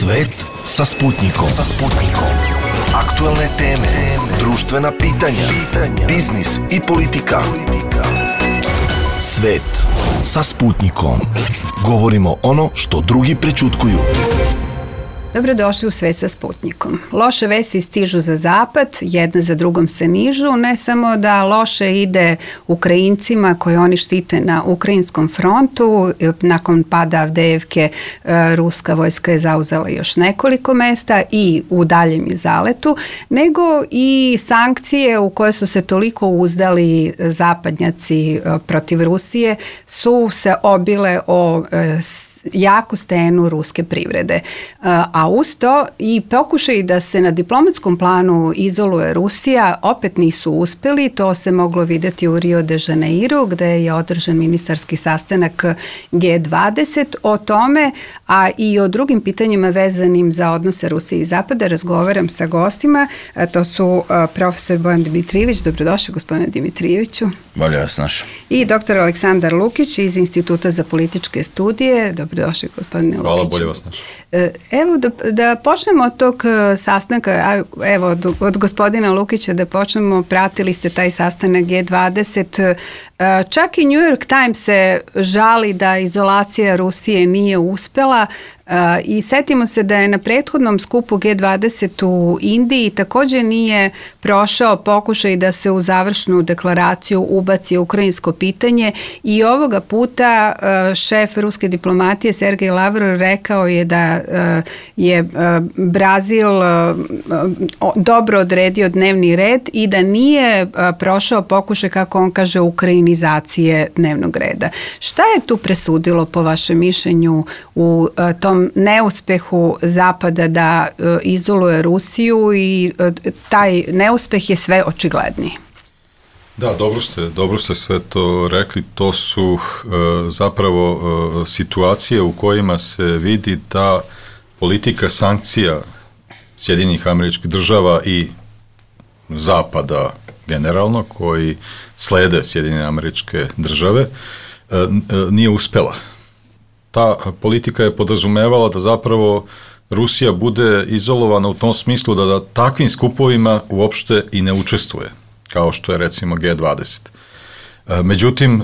Svet sa Sputnikom. Aktuelne teme, društvena pitanja, biznis i politika. Svet sa Sputnikom. Govorimo ono što drugi prećutkuju. Dobrodošli u Svet sa Sputnikom. Loše vesti stižu za zapad, jedna za drugom se nižu, ne samo da loše ide Ukrajincima koje oni štite na ukrajinskom frontu, nakon pada Avdejevke ruska vojska je zauzela još nekoliko mesta i u daljem je zaletu, nego i sankcije u koje su se toliko uzdali zapadnjaci protiv Rusije su se obile o jaku stenu ruske privrede. A uz to i pokušaj da se na diplomatskom planu izoluje Rusija opet nisu uspeli. To se moglo vidjeti u Rio de Janeiro gde je održan ministarski sastanak G20. O tome, a i o drugim pitanjima vezanim za odnose Rusije i Zapada razgovaram sa gostima. To su profesor Bojan Dimitrijević. Dobrodošli, gospodine Dimitrijeviću. Bolje vas našao. I doktor Aleksandar Lukić iz Instituta za političke studije. Dobrodošli, gospodine Lukić. Hvala, bolje vas našao. Evo da počnemo od tog sastanka, evo od gospodina Lukića da počnemo, pratili ste taj sastanak G20, čak i New York Times se žali da izolacija Rusije nije uspela. I setimo se da je na prethodnom skupu G20 u Indiji također nije prošao pokušaj da se u završnu deklaraciju ubaci ukrajinsko pitanje i ovoga puta šef ruske diplomatije Sergej Lavrov rekao je da je Brazil dobro odredio dnevni red i da nije prošao pokušaj, kako on kaže, ukrajinizacije dnevnog reda. Šta je tu presudilo po vašem mišljenju u tom neuspehu Zapada da izoluje Rusiju i taj neuspeh je sve očigledniji? Da, dobro ste sve to rekli. To su zapravo situacije u kojima se vidi da politika sankcija Sjedinjenih Američkih Država i Zapada generalno, koji slede Sjedinjene Američke Države, nije uspela. Ta politika je podrazumevala da zapravo Rusija bude izolovana u tom smislu da na takvim skupovima uopšte i ne učestvuje, kao što je recimo G20. Međutim,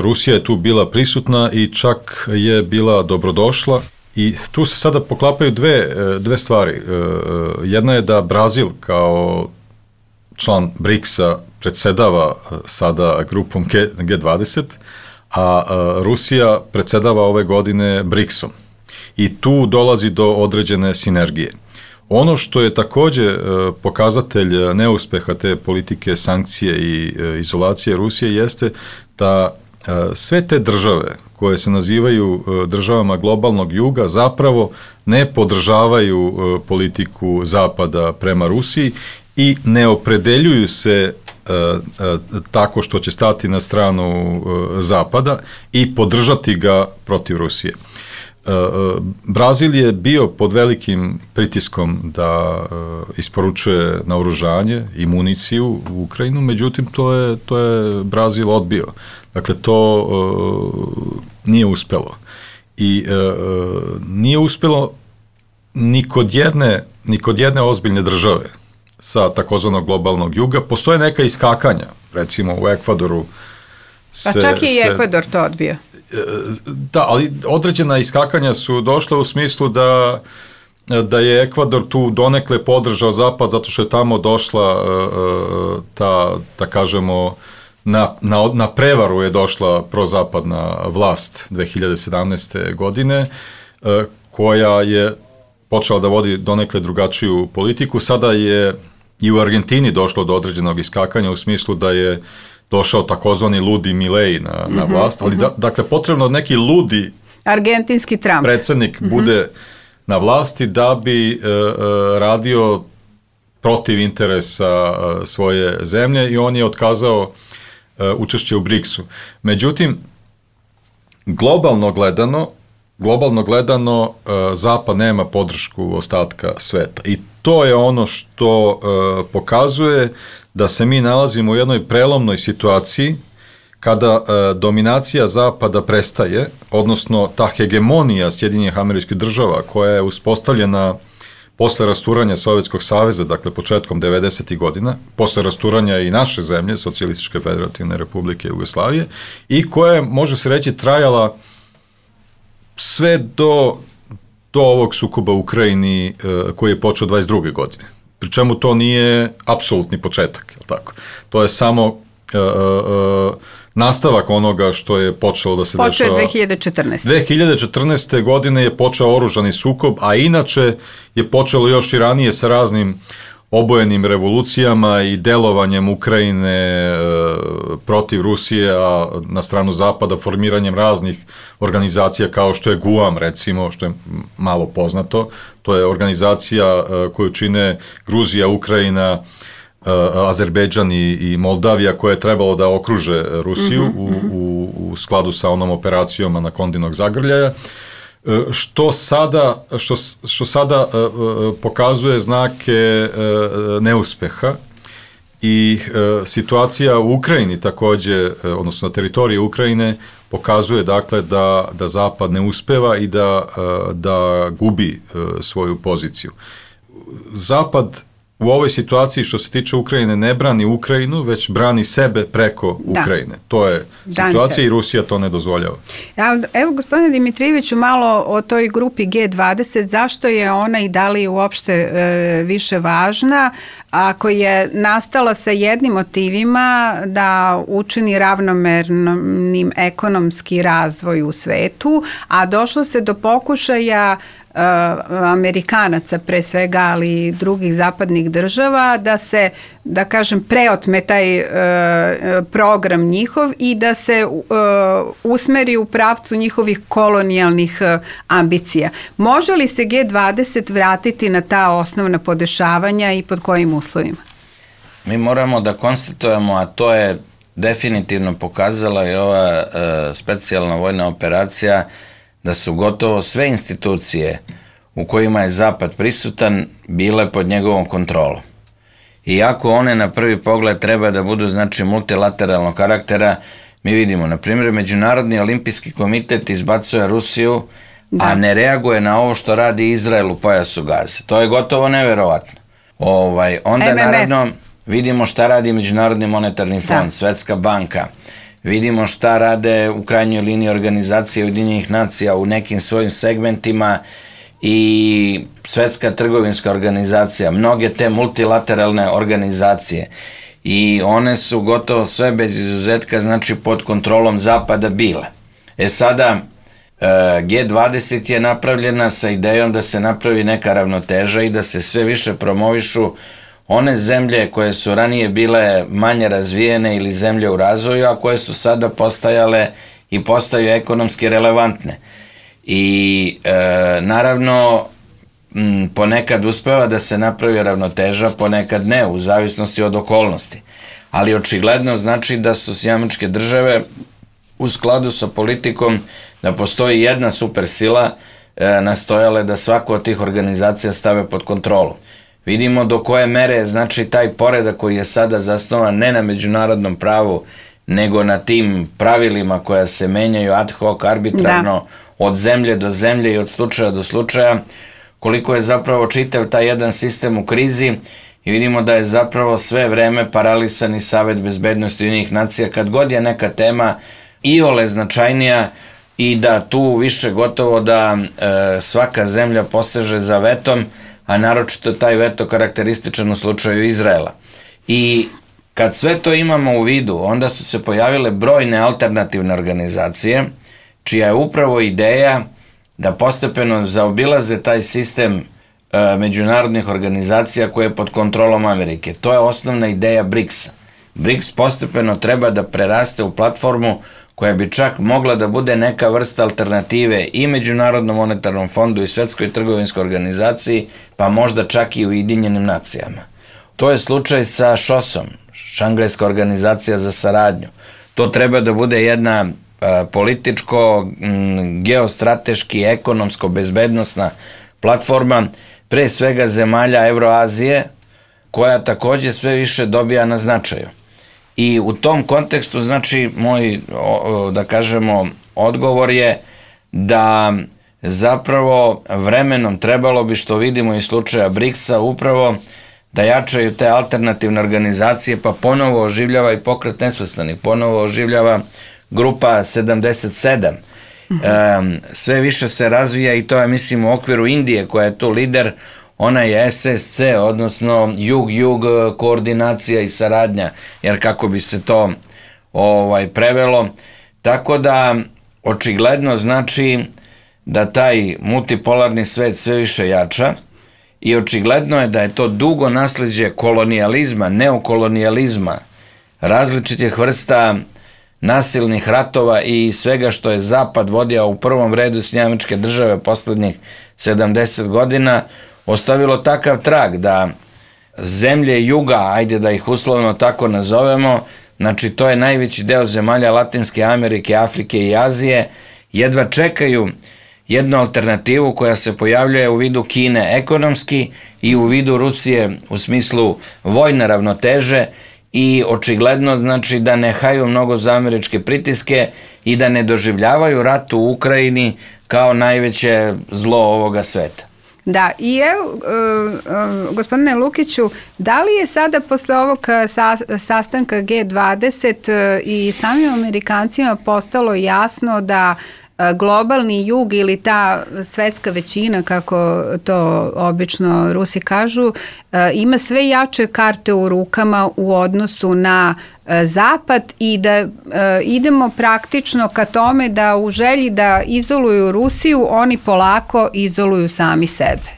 Rusija je tu bila prisutna i čak je bila dobrodošla i tu se sada poklapaju dve stvari. Jedna je da Brazil kao član BRICS-a predsedava sada grupom G20, a Rusija predsedava ove godine BRICS-om. I tu dolazi do određene sinergije. Ono što je također pokazatelj neuspeha te politike sankcije i izolacije Rusije jeste da sve te države koje se nazivaju državama globalnog juga zapravo ne podržavaju politiku Zapada prema Rusiji i ne opredeljuju se tako što će stati na stranu Zapada i podržati ga protiv Rusije. Brazil je bio pod velikim pritiskom da isporučuje naoružanje i municiju u Ukrajinu, međutim to je Brazil odbio. Dakle, to nije uspelo. I nije uspelo ni kod jedne ozbiljne države sa takozvanog globalnog juga. Postoje neka iskakanja, recimo u Ekvadoru. Pa čak i Ekvador to odbio. Da, ali određena iskakanja su došla u smislu da je Ekvador tu donekle podržao Zapad zato što je tamo došla da kažemo, na prevaru je došla prozapadna vlast 2017. godine, koja je počela da vodi donekle drugačiju politiku. Sada je i u Argentini došlo do određenog iskakanja u smislu da je došao takozvani ludi Milei na vlast, ali dakle potrebno neki ludi argentinski Trump predsjednik bude na vlasti da bi radio protiv interesa svoje zemlje i on je otkazao učešće u BRICS-u. Međutim, globalno gledano Zapad nema podršku ostatka sveta i to je ono što pokazuje da se mi nalazimo u jednoj prelomnoj situaciji kada dominacija Zapada prestaje, odnosno ta hegemonija Sjedinjenih Američkih Država koja je uspostavljena posle rasturanja Sovjetskog saveza, dakle početkom 90. godina, posle rasturanja i naše zemlje, Socijalističke federativne republike Jugoslavije, i koja je, može se reći, trajala sve do ovog sukoba u Ukrajini koji je počeo 22. godine. Pri čemu to nije apsolutni početak, je li tako? To je samo nastavak onoga što je počelo da se dešava. Počeo je 2014. 2014. godine je počeo oružani sukob, a inače je počelo još i ranije sa raznim obojenim revolucijama i delovanjem Ukrajine protiv Rusije, a na stranu Zapada formiranjem raznih organizacija kao što je GUAM, recimo, što je malo poznato. To je organizacija koju čine Gruzija, Ukrajina, Azerbejdžan i Moldavija, koje je trebalo da okruže Rusiju u skladu sa onom operacijom Anakondinog zagrljaja, što sada pokazuje znake neuspeha i situacija u Ukrajini takođe, odnosno na teritoriji Ukrajine, pokazuje dakle da Zapad ne uspeva i da gubi svoju poziciju. Zapad u ovoj situaciji što se tiče Ukrajine ne brani Ukrajinu, već brani sebe preko Ukrajine. To je situacija i Rusija to ne dozvoljava. Evo, gospodine Dimitrijeviću, malo o toj grupi G20, zašto je ona i da li je uopšte više važna, ako je nastala sa jednim motivima da učini ravnomernim ekonomski razvoj u svetu, a došlo se do pokušaja Amerikanaca pre svega, ali i drugih zapadnih država, da se, da kažem, preotme taj program njihov i da se usmeri u pravcu njihovih kolonijalnih ambicija. Može li se G20 vratiti na ta osnovna podešavanja i pod kojim uslovima? Mi moramo da konstatujemo, a to je definitivno pokazala i ova specijalna vojna operacija, da su gotovo sve institucije u kojima je Zapad prisutan bile pod njegovom kontrolom. Iako one na prvi pogled treba da budu, znači, multilateralnog karaktera, mi vidimo, na primjer, Međunarodni olimpijski komitet izbacuje Rusiju, a ne reaguje na ovo što radi Izrael u pojasu Gaze. To je gotovo neverovatno. Onda, naravno, vidimo šta radi Međunarodni monetarni fond, Svetska banka. Vidimo šta rade u krajnjoj liniji organizacije Ujedinjenih nacija u nekim svojim segmentima i Svetska trgovinska organizacija, mnoge te multilateralne organizacije, i one su gotovo sve bez izuzetka, znači, pod kontrolom Zapada bile. Sada G20 je napravljena sa idejom da se napravi neka ravnoteža i da se sve više promovišu one zemlje koje su ranije bile manje razvijene ili zemlje u razvoju, a koje su sada postajale i postaju ekonomski relevantne. I naravno, ponekad uspeva da se napravi ravnoteža, ponekad ne, u zavisnosti od okolnosti. Ali očigledno znači da su Američke države u skladu sa politikom da postoji jedna supersila nastojale da svaku od tih organizacija stave pod kontrolu. Vidimo do koje mere, znači, taj poredak koji je sada zasnovan ne na međunarodnom pravu, nego na tim pravilima koja se menjaju ad hoc, arbitrarno, od zemlje do zemlje i od slučaja do slučaja, koliko je zapravo čitav taj jedan sistem u krizi, i vidimo da je zapravo sve vreme paralisan i Savet bezbednosti Ujedinjenih nacija kad god je neka tema iole značajnija, i da tu više gotovo da svaka zemlja poseže za vetom, a naročito taj veto karakterističan u slučaju Izraela. I kad sve to imamo u vidu, onda su se pojavile brojne alternativne organizacije, čija je upravo ideja da postepeno zaobilaze taj sistem međunarodnih organizacija koje je pod kontrolom Amerike. To je osnovna ideja BRICS-a. BRICS postepeno treba da preraste u platformu koja bi čak mogla da bude neka vrsta alternative i Međunarodnom monetarnom fondu i Svetskoj trgovinskoj organizaciji, pa možda čak i Ujedinjenim nacijama. To je slučaj sa ŠOS-om, Šangajska organizacija za saradnju. To treba da bude jedna političko, geostrateški, ekonomsko, bezbednosna platforma, pre svega zemalja Evroazije, koja takođe sve više dobija na značaju. I u tom kontekstu, znači, moj, da kažemo, odgovor je da zapravo vremenom trebalo bi, što vidimo iz slučaja BRICS-a, upravo da jačaju te alternativne organizacije, pa ponovo oživljava i Pokret nesvrstanih, ponovo oživljava grupa 77. Sve više se razvija i to je, mislim, u okviru Indije koja je tu lider, ona je SSC, odnosno Jug koordinacija i saradnja, jer kako bi se to prevelo. Tako da, očigledno znači da taj multipolarni svet sve više jača i očigledno je da je to dugo nasleđe kolonijalizma, neokolonijalizma, različitih vrsta nasilnih ratova i svega što je Zapad vodio u prvom redu SAD poslednjih 70 godina, ostavilo takav trag da zemlje juga, ajde da ih uslovno tako nazovemo, znači to je najveći deo zemalja Latinske Amerike, Afrike i Azije, jedva čekaju jednu alternativu koja se pojavljuje u vidu Kine ekonomski i u vidu Rusije u smislu vojne ravnoteže i očigledno znači da ne haju mnogo za američke pritiske i da ne doživljavaju rat u Ukrajini kao najveće zlo ovoga sveta. Da, i evo, gospodine Lukiću, da li je sada posle ovog sastanka G20 i samim Amerikancima postalo jasno da globalni jug ili ta svetska većina, kako to obično Rusi kažu, ima sve jače karte u rukama u odnosu na Zapad i da idemo praktično ka tome da u želji da izoluju Rusiju, oni polako izoluju sami sebe,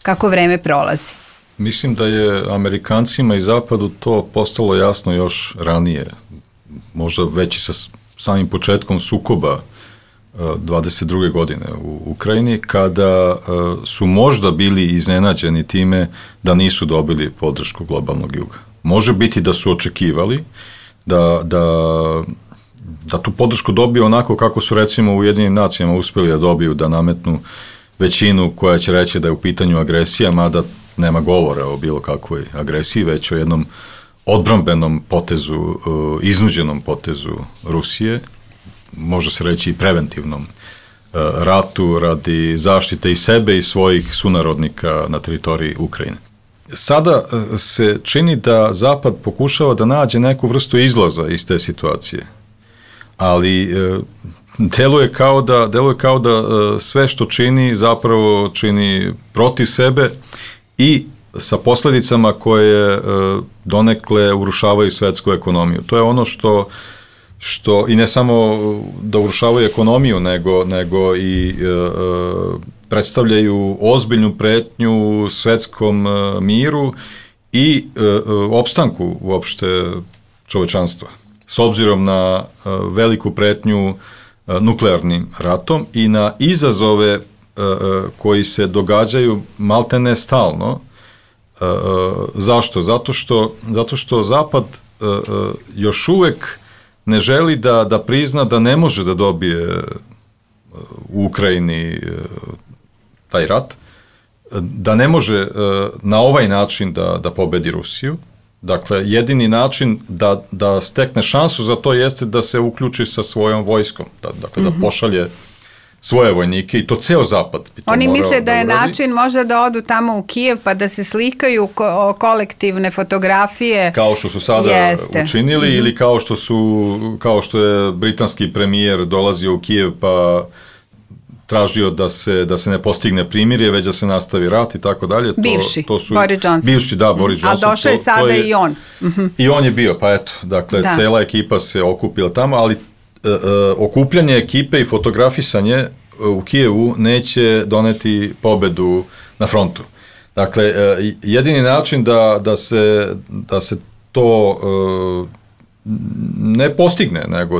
kako vreme prolazi? Mislim da je Amerikancima i Zapadu to postalo jasno još ranije, možda već i sa samim početkom sukoba 22. godine u Ukrajini, kada su možda bili iznenađeni time da nisu dobili podršku globalnog juga. Može biti da su očekivali da tu podršku dobiju onako kako su recimo u Ujedinjenim nacijama uspeli da dobiju, da nametnu većinu koja će reći da je u pitanju agresija, mada nema govora o bilo kakvoj agresiji, već o jednom odbrambenom potezu, iznuđenom potezu Rusije, može se reći i preventivnom ratu radi zaštite i sebe i svojih sunarodnika na teritoriji Ukrajine. Sada se čini da Zapad pokušava da nađe neku vrstu izlaza iz te situacije, ali deluje kao da sve što čini zapravo čini protiv sebe i sa posledicama koje donekle urušavaju svetsku ekonomiju. To je ono što i ne samo da urušavaju ekonomiju, nego i predstavljaju ozbiljnu pretnju svetskom miru i opstanku uopšte čovečanstva. S obzirom na veliku pretnju nuklearnim ratom i na izazove koji se događaju maltene stalno. Zašto? Zato što Zapad još uvek ne želi da prizna da ne može da dobije u Ukrajini taj rat, da ne može na ovaj način da pobedi Rusiju. Dakle, jedini način da stekne šansu za to jeste da se uključi sa svojom vojskom, dakle da pošalje svoje vojnike i to ceo Zapad bi to Oni morao misle da je uradi. način možda da odu tamo u Kijev pa da se slikaju kolektivne fotografije. Kao što su sada učinili ili kao što je britanski premijer dolazio u Kijev pa tražio da se ne postigne primirje, već da se nastavi rat i tako dalje. Bivši, Boris Johnson. Bivši, da, Boris Johnson. A došao je sada i on. I on je bio, pa eto, dakle, cela ekipa se okupila tamo, ali okupljanje ekipe i fotografisanje u Kijevu neće doneti pobedu na frontu. Dakle, jedini način da se to ne postigne, nego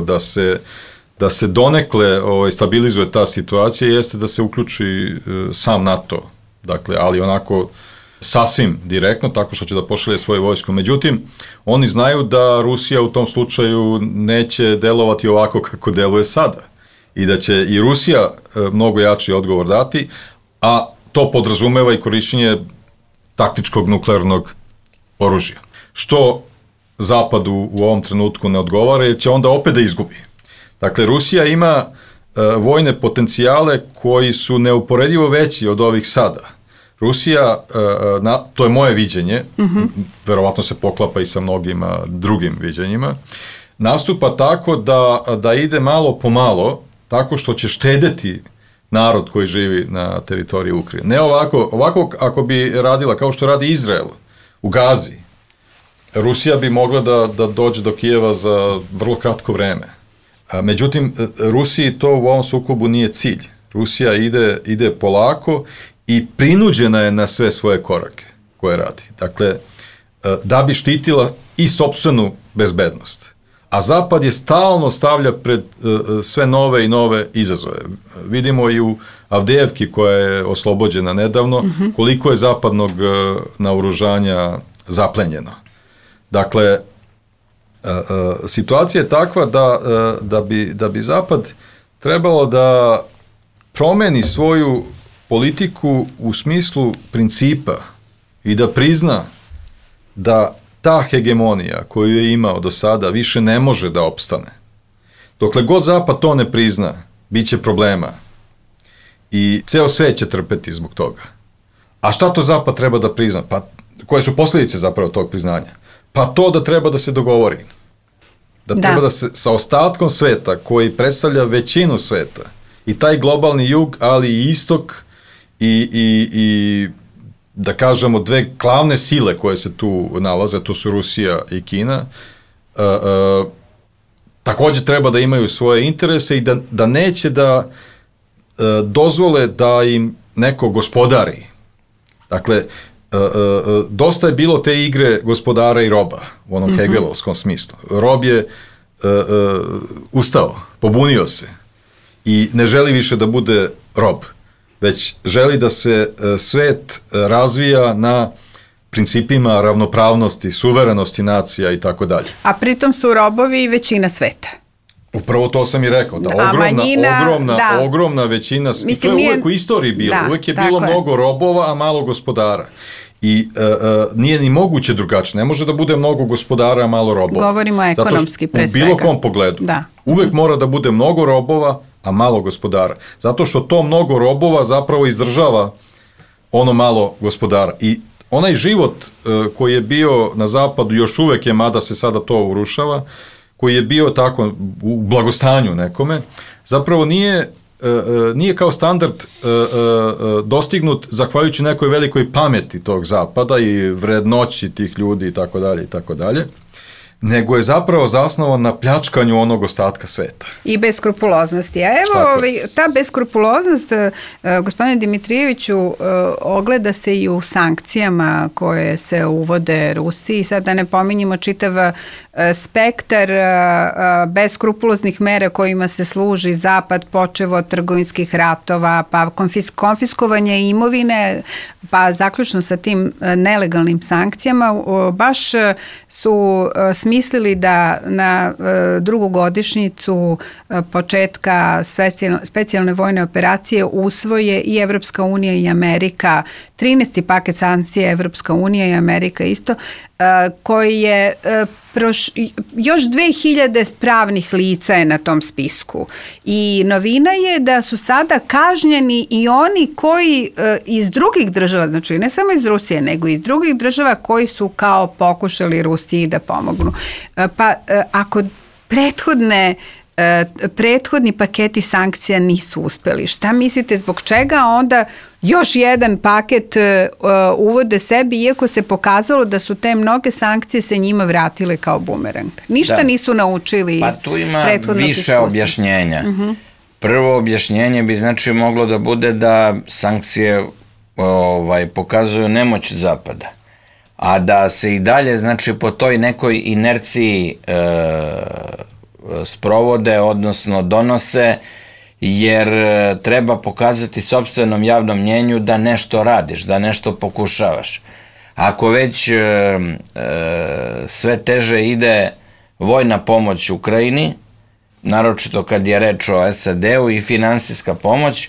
da se donekle stabilizuje ta situacija jeste da se uključi sam NATO, dakle, ali onako sasvim direktno, tako što će da pošalje svoje vojsko. Međutim, oni znaju da Rusija u tom slučaju neće delovati ovako kako deluje sada i da će i Rusija mnogo jači odgovor dati, a to podrazumeva i korišćenje taktičkog nuklearnog oružja. Što Zapadu u ovom trenutku ne odgovara, jer će onda opet da izgubi. Dakle, Rusija ima vojne potencijale koji su neuporedivo veći od ovih sada. Rusija, to je moje viđenje, verovatno se poklapa i sa mnogima drugim viđenjima, nastupa tako da ide malo po malo, tako što će štedeti narod koji živi na teritoriji Ukrajine. Ne ovako ako bi radila kao što radi Izrael u Gazi, Rusija bi mogla da dođe do Kijeva za vrlo kratko vreme. Međutim, Rusiji to u ovom sukobu nije cilj. Rusija ide polako i prinuđena je na sve svoje korake koje radi. Dakle, da bi štitila i sopstvenu bezbednost. A Zapad je stalno stavlja pred sve nove i nove izazove. Vidimo i u Avdijevki, koja je oslobođena nedavno, koliko je zapadnog naoružanja zaplenjeno. Dakle, situacija je takva da bi Zapad trebalo da promeni svoju politiku u smislu principa i da prizna da ta hegemonija koju je imao do sada više ne može da opstane. Dokle god Zapad to ne prizna, bit će problema. I ceo svet će trpeti zbog toga. A šta to Zapad treba da prizna? Pa koje su posljedice zapravo tog priznanja? Pa to da treba da se dogovori. Da treba da se sa ostatkom sveta, koji predstavlja većinu sveta, i taj globalni jug, ali i istok, i da kažemo dve glavne sile koje se tu nalaze, to su Rusija i Kina, takođe treba da imaju svoje interese i da neće da dozvole da im neko gospodari. Dakle, dosta je bilo te igre gospodara i roba u onom hegelovskom smislu. Rob je ustao, pobunio se i ne želi više da bude rob, već želi da se svet razvija na principima ravnopravnosti, suverenosti nacija i tako dalje. A pritom su robovi i većina sveta. Upravo to sam i rekao, da ogromna većina, i to je uvek u istoriji bilo, uvek je bilo mnogo robova, a malo gospodara. I nije ni moguće drugačije, ne može da bude mnogo gospodara, a malo robova. Govorimo ekonomski pre svega. U bilo kom pogledu. Uvek mora da bude mnogo robova, a malo gospodara. Zato što to mnogo robova zapravo izdržava ono malo gospodara. I onaj život koji je bio na zapadu, još uvek je, mada se sada to urušava, koji je bio tako u blagostanju nekome, zapravo nije kao standard dostignut zahvaljujući nekoj velikoj pameti tog zapada i vrednoći tih ljudi i tako dalje, nego je zapravo zasnovan na pljačkanju onog ostatka sveta. I beskrupuloznosti. A evo, ta beskrupuloznost, gospodine Dimitrijeviću, ogleda se i u sankcijama koje se uvode Rusiji. Sad da ne pominjemo čitav spektar beskrupuloznih mera kojima se služi Zapad, počev od trgovinskih ratova, pa konfiskovanje imovine, pa zaključno sa tim nelegalnim sankcijama, baš su smislili da na drugu godišnjicu početka specijalne vojne operacije usvoje i Evropska unija i Amerika, 13. paket sankcija Evropska unija i Amerika isto, koji je još 2000 pravnih lica je na tom spisku. I novina je da su sada kažnjeni i oni koji iz drugih država, znači ne samo iz Rusije, nego iz drugih država koji su kao pokušali Rusiji da pomognu. Pa ako prethodni paketi sankcija nisu uspeli, šta mislite zbog čega onda još jedan paket uvode sebi, iako se pokazalo da su te mnoge sankcije se njima vratile kao bumerang? Ništa nisu naučili iz prethodnog iskustva. Pa tu ima više objašnjenja. Prvo objašnjenje bi znači moglo da bude da sankcije pokazuju nemoć Zapada, a da se i dalje znači po toj nekoj inerciji sprovode, odnosno donose, jer treba pokazati sopstvenom javnom mnjenju da nešto radiš, da nešto pokušavaš. Ako već sve teže ide vojna pomoć Ukrajini, naročito kad je reč o SAD-u i finansijska pomoć,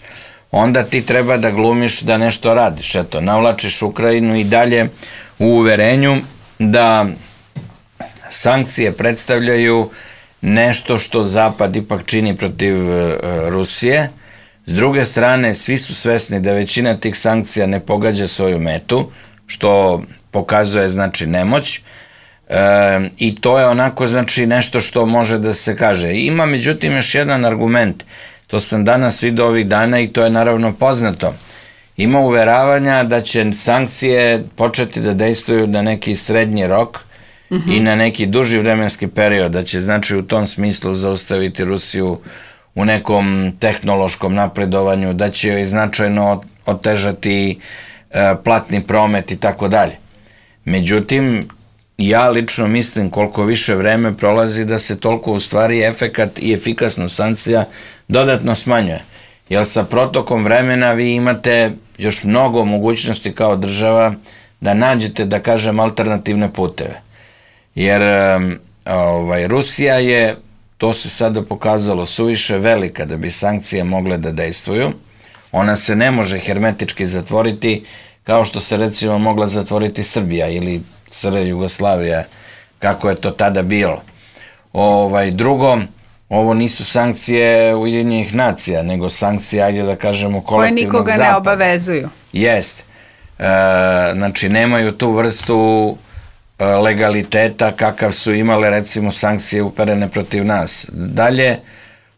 onda ti treba da glumiš da nešto radiš. Eto, navlačiš Ukrajinu i dalje u uverenju da sankcije predstavljaju nešto što Zapad ipak čini protiv Rusije. S druge strane, svi su svesni da većina tih sankcija ne pogađa svoju metu, što pokazuje, znači, nemoć. I to je onako, znači, nešto što može da se kaže. Ima, međutim, još jedan argument. To sam danas vidio ovih dana i to je naravno poznato. Ima uveravanja da će sankcije početi da dejstvuju na neki srednji rok i na neki duži vremenski period, da će, znači, u tom smislu zaustaviti Rusiju u nekom tehnološkom napredovanju, da će joj značajno otežati platni promet i tako dalje. Međutim, ja lično mislim koliko više vreme prolazi da se toliko u stvari efekat i efikasnost sankcija dodatno smanjuje. Jer sa protokom vremena vi imate još mnogo mogućnosti kao država da nađete, da kažem, alternativne puteve. Jer Rusija je, to se sada pokazalo, suviše velika da bi sankcije mogle da dejstvuju. Ona se ne može hermetički zatvoriti kao što se recimo mogla zatvoriti Srbija ili Jugoslavija, kako je to tada bilo. Drugo, ovo nisu sankcije Ujedinjenih nacija, nego sankcije, ajde da kažemo, kolektivnog zapada. Koje nikoga ne obavezuju. Jeste. Znači, nemaju tu vrstu legaliteta kakav su imale, recimo, sankcije uperene protiv nas. Dalje,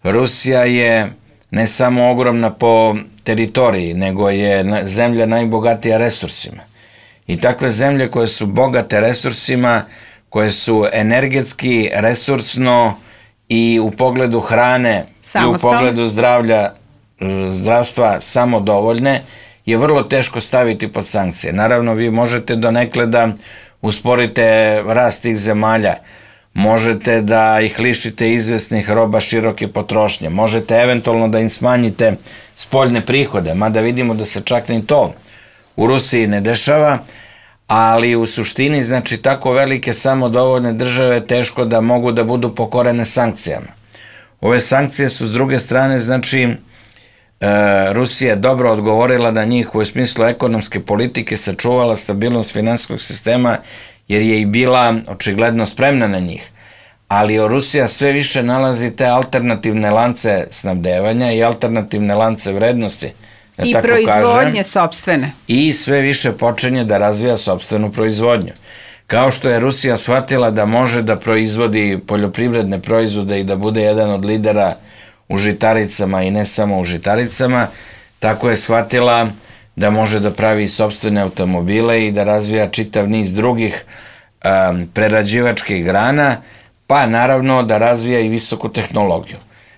Rusija je ne samo ogromna po teritoriji, nego je zemlja najbogatija resursima. I takve zemlje koje su bogate resursima, koje su energetski, resursno i u pogledu hrane i u pogledu zdravstva samodovoljne, je vrlo teško staviti pod sankcije. Naravno, vi možete donekle da usporite rast tih zemalja, možete da ih lišite izvesnih roba široke potrošnje, možete eventualno da im smanjite spoljne prihode, mada vidimo da se čak ni to u Rusiji ne dešava, ali u suštini, znači, tako velike samodovoljne države teško da mogu da budu pokorene sankcijama. Ove sankcije su s druge strane, znači, Rusija je dobro odgovorila na njih u smislu ekonomske politike, sačuvala stabilnost finansijskog sistema jer je i bila očigledno spremna na njih. Ali Rusija sve više nalazi te alternativne lance snabdevanja i alternativne lance vrednosti. I proizvodnje sopstvene. I sve više počinje da razvija sopstvenu proizvodnju. Kao što je Rusija shvatila da može da proizvodi poljoprivredne proizvode i da bude jedan od lidera u žitaricama i ne samo u žitaricama, tako je shvatila da može da pravi sopstvene automobile i da razvija čitav niz drugih prerađivačkih grana, pa naravno da razvija i visoku tehnologiju.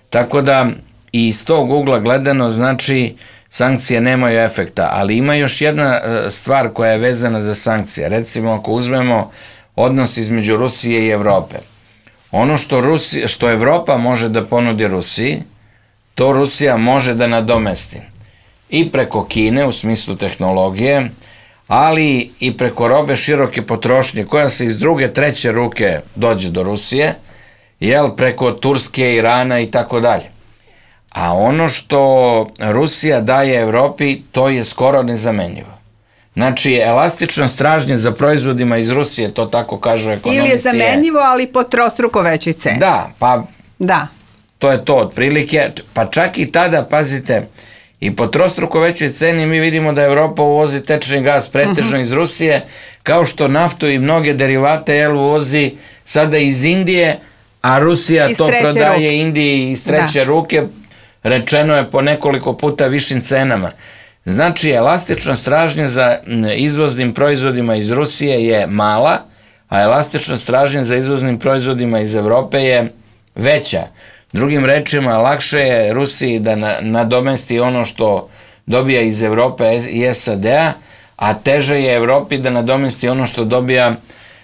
Tako da i iz tog ugla gledano, znači, sankcije nemaju efekta, ali ima još jedna stvar koja je vezana za sankcije. Recimo, ako uzmemo odnos između Rusije i Evrope, ono što Evropa može da ponudi Rusiji, to Rusija može da nadomesti. I preko Kine, u smislu tehnologije, ali i preko robe široke potrošnje, koja se iz druge, treće ruke dođe do Rusije, preko Turske, Irana i tako dalje. A ono što Rusija daje Evropi, to je skoro nezamenjivo. Znači, elastično stražnje za proizvodima iz Rusije, to tako kažu ekonomisti. Ili je zamenjivo, ali po trostruko većoj ceni. Da, to je to otprilike, pa čak i tada, pazite, i po trostruko većoj ceni mi vidimo da Evropa uvozi tečni gas pretežno iz Rusije, kao što naftu i mnoge derivate uvozi sada iz Indije, a Rusija to prodaje Indiji iz treće ruke, rečeno je po nekoliko puta višim cenama. Znači, elastična stražnja za izvoznim proizvodima iz Rusije je mala, a elastična stražnja za izvoznim proizvodima iz Evrope je veća. Drugim rečima, lakše je Rusiji da nadomesti ono što dobija iz Evrope i SAD-a, a teže je Evropi da nadomesti ono što dobija.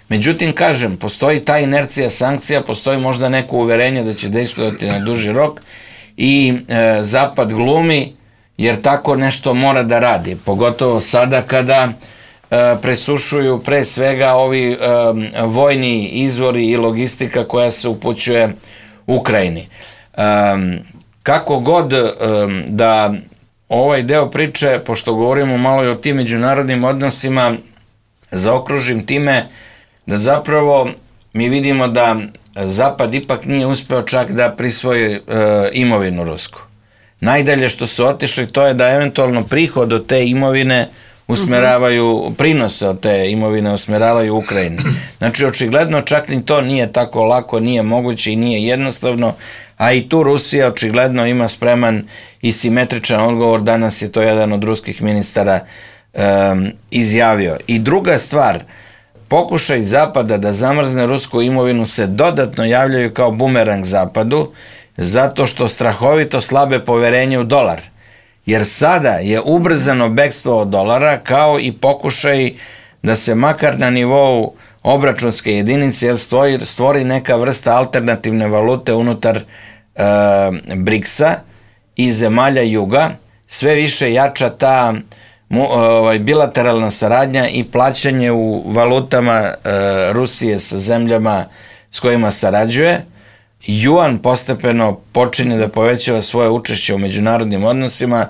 Međutim, kažem, postoji ta inercija sankcija, postoji možda neko uverenje da će dejstvovati na duži rok i Zapad glumi, jer tako nešto mora da radi, pogotovo sada kada presušuju pre svega ovi vojni izvori i logistika koja se upućuje Ukrajini. Kako god da ovaj deo priče, pošto govorimo malo i o tim međunarodnim odnosima, zaokružim time da zapravo mi vidimo da Zapad ipak nije uspeo čak da prisvoji imovinu rusku. Najdalje što su otišli to je da eventualno prihod od te imovine usmeravaju, prinose od te imovine usmeravaju Ukrajini. Znači, očigledno čak ni to nije tako lako, nije moguće i nije jednostavno, a i tu Rusija očigledno ima spreman i simetričan odgovor, danas je to jedan od ruskih ministara izjavio. I druga stvar, pokušaj Zapada da zamrzne rusku imovinu se dodatno javljaju kao bumerang Zapadu, zato što strahovito slabe poverenje u dolar. Jer sada je ubrzano bekstvo od dolara, kao i pokušaj da se makar na nivou obračunske jedinice stvori neka vrsta alternativne valute unutar BRICS-a i zemalja juga. Sve više jača ta bilateralna saradnja i plaćanje u valutama Rusije sa zemljama s kojima sarađuje. Juan postepeno počinje da povećava svoje učešće u međunarodnim odnosima.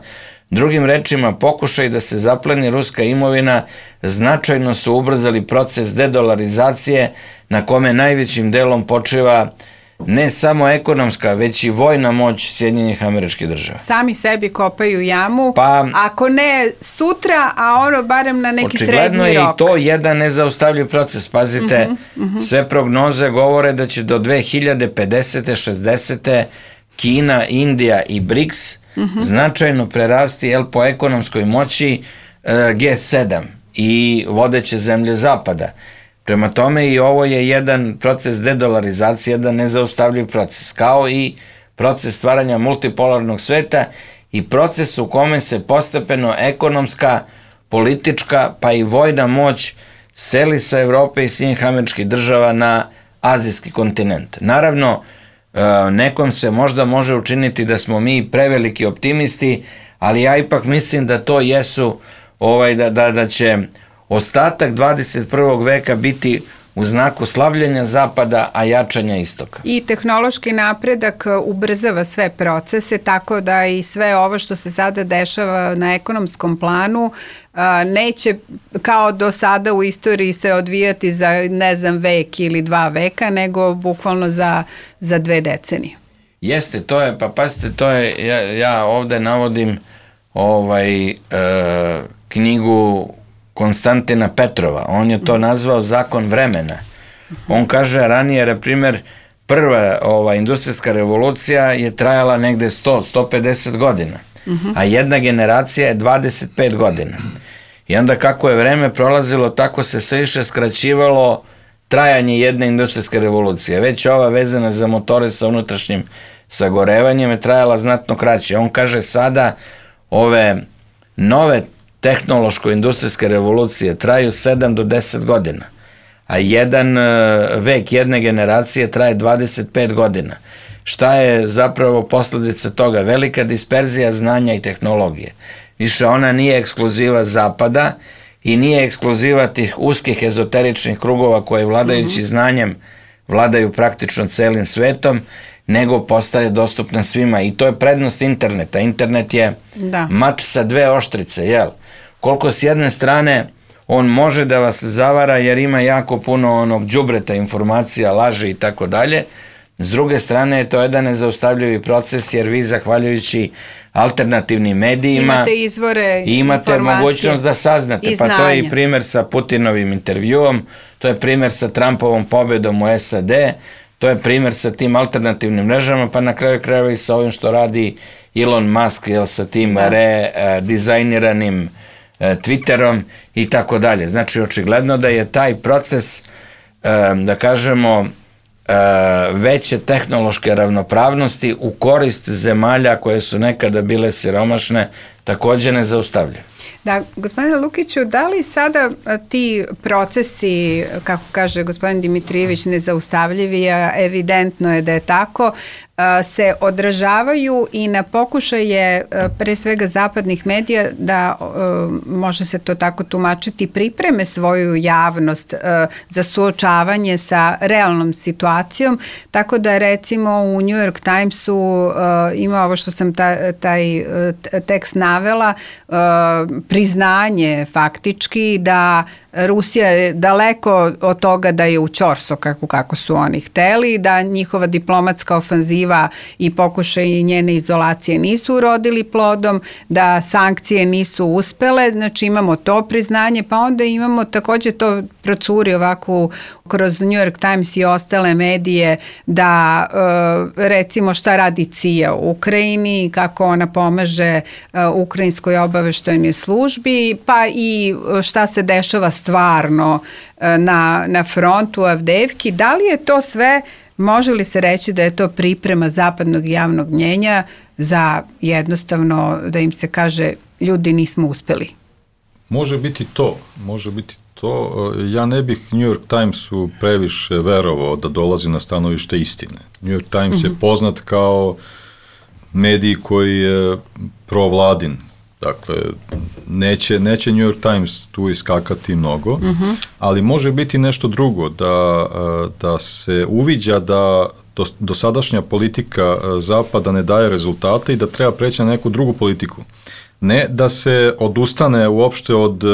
Drugim rečima, pokušaj da se zapleni ruska imovina značajno su ubrzali proces dedolarizacije na kome najvećim delom počiva ne samo ekonomska, već i vojna moć Sjedinjenih Američkih Država. Sami sebi kopaju jamu, ako ne sutra, a ono barem na neki srednji rok. Očigledno je i to jedan nezaustavljiv proces. Pazite, sve prognoze govore da će do 2050. 60. Kina, Indija i BRICS značajno prerasti po ekonomskoj moći G7 i vodeće zemlje Zapada. Prema tome i ovo je jedan proces dedolarizacije, jedan nezaustavljiv proces, kao i proces stvaranja multipolarnog sveta i proces u kome se postepeno ekonomska, politička pa i vojna moć seli sa Evrope i Sjedinjenih Američkih Država na azijski kontinent. Naravno, nekom se možda može učiniti da smo mi preveliki optimisti, ali ja ipak mislim da to jesu, da će ostatak 21. veka biti u znaku slavljenja Zapada, a jačanja Istoka. I tehnološki napredak ubrzava sve procese, tako da i sve ovo što se sada dešava na ekonomskom planu neće kao do sada u istoriji se odvijati za, ne znam, vek ili 2 veka, nego bukvalno za 2 decenije. Jeste, to je, pa pazite, to je, ja ovde navodim knjigu Konstantina Petrova. On je to nazvao zakon vremena. On kaže ranije, na primjer, prva industrijska revolucija je trajala negde 100-150 godina, a jedna generacija je 25 godina. I onda kako je vreme prolazilo, tako se sve više skraćivalo trajanje jedne industrijske revolucije. Već ova vezana za motore sa unutrašnjim sagorevanjem je trajala znatno kraće. On kaže sada ove nove tehnološko-industrijske revolucije traju 7 do 10 godina, a jedan vek jedne generacije traje 25 godina. Šta je zapravo posledica toga? Velika disperzija znanja i tehnologije. Više ona nije ekskluziva Zapada i nije ekskluziva tih uskih ezoteričnih krugova koje vladajući znanjem vladaju praktično celim svetom, nego postaje dostupna svima. I to je prednost interneta. Internet je mač sa 2 oštrice, jel? Koliko s jedne strane on može da vas zavara jer ima jako puno onog đubreta informacija, laži i tako dalje. S druge strane je to jedan nezaustavljivi proces jer vi zahvaljujući alternativnim medijima imate izvore i imate mogućnost da saznate. Pa to je i primjer sa Putinovim intervjuom, to je primjer sa Trumpovom pobedom u SAD, to je primjer sa tim alternativnim mrežama, pa na kraju krajeva i sa ovim što radi Elon Musk, sa tim redizajniranim Twitterom i tako dalje. Znači, očigledno da je taj proces, da kažemo, veće tehnološke ravnopravnosti u korist zemalja koje su nekada bile siromašne takođe nezaustavljive. Da, gospodine Lukiću, da li sada ti procesi, kako kaže gospodin Dimitrijević, nezaustavljivi, a evidentno je da je tako, se odražavaju i na pokušaje pre svega zapadnih medija da, može se to tako tumačiti, pripreme svoju javnost za suočavanje sa realnom situacijom, tako da recimo u New York Timesu ima ovo što sam taj tekst navela, priznanje faktički da Rusija je daleko od toga da je u ćorso kako su oni hteli, da njihova diplomatska ofanziva i pokušaj njene izolacije nisu urodili plodom, da sankcije nisu uspele, znači imamo to priznanje, pa onda imamo takođe to procuri ovako kroz New York Times i ostale medije da recimo šta radi CIA u Ukrajini, kako ona pomaže ukrajinskoj obaveštajnoj službi, pa i šta se dešava stvarno na frontu Avdeevki. Da li je to sve, može li se reći da je to priprema zapadnog javnog mnjenja za jednostavno da im se kaže ljudi nismo uspeli? Može biti to. Ja ne bih New York Timesu previše verovao da dolazi na stanovište istine. New York Times je poznat kao medij koji je provladin. Dakle, neće New York Times tu iskakati mnogo, ali može biti nešto drugo, da se uviđa da dosadašnja politika Zapada ne daje rezultate i da treba preći na neku drugu politiku. Ne da se odustane uopšte od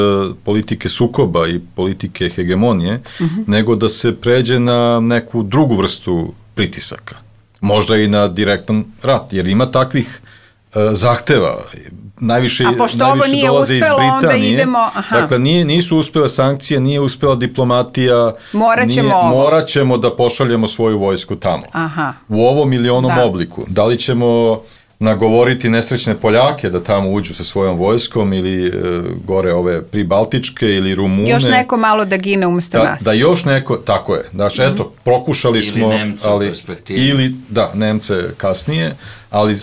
politike sukoba i politike hegemonije, nego da se pređe na neku drugu vrstu pritisaka. Možda i na direktan rat, jer ima takvih zahteva. Najviše dolaze iz Britanije. Dakle, nisu uspele sankcije, nije uspela diplomatija. Morat ćemo da pošaljemo svoju vojsku tamo. U ovom ili onom obliku. Da li ćemo nagovoriti nesrećne Poljake da tamo uđu sa svojom vojskom ili gore ove pribaltičke ili Rumune. Još neko malo da gine umesto nas. Da još neko, tako je. Znači, eto, prokušali smo. Ili Nemce u perspektivi. Ili, Nemce kasnije, ali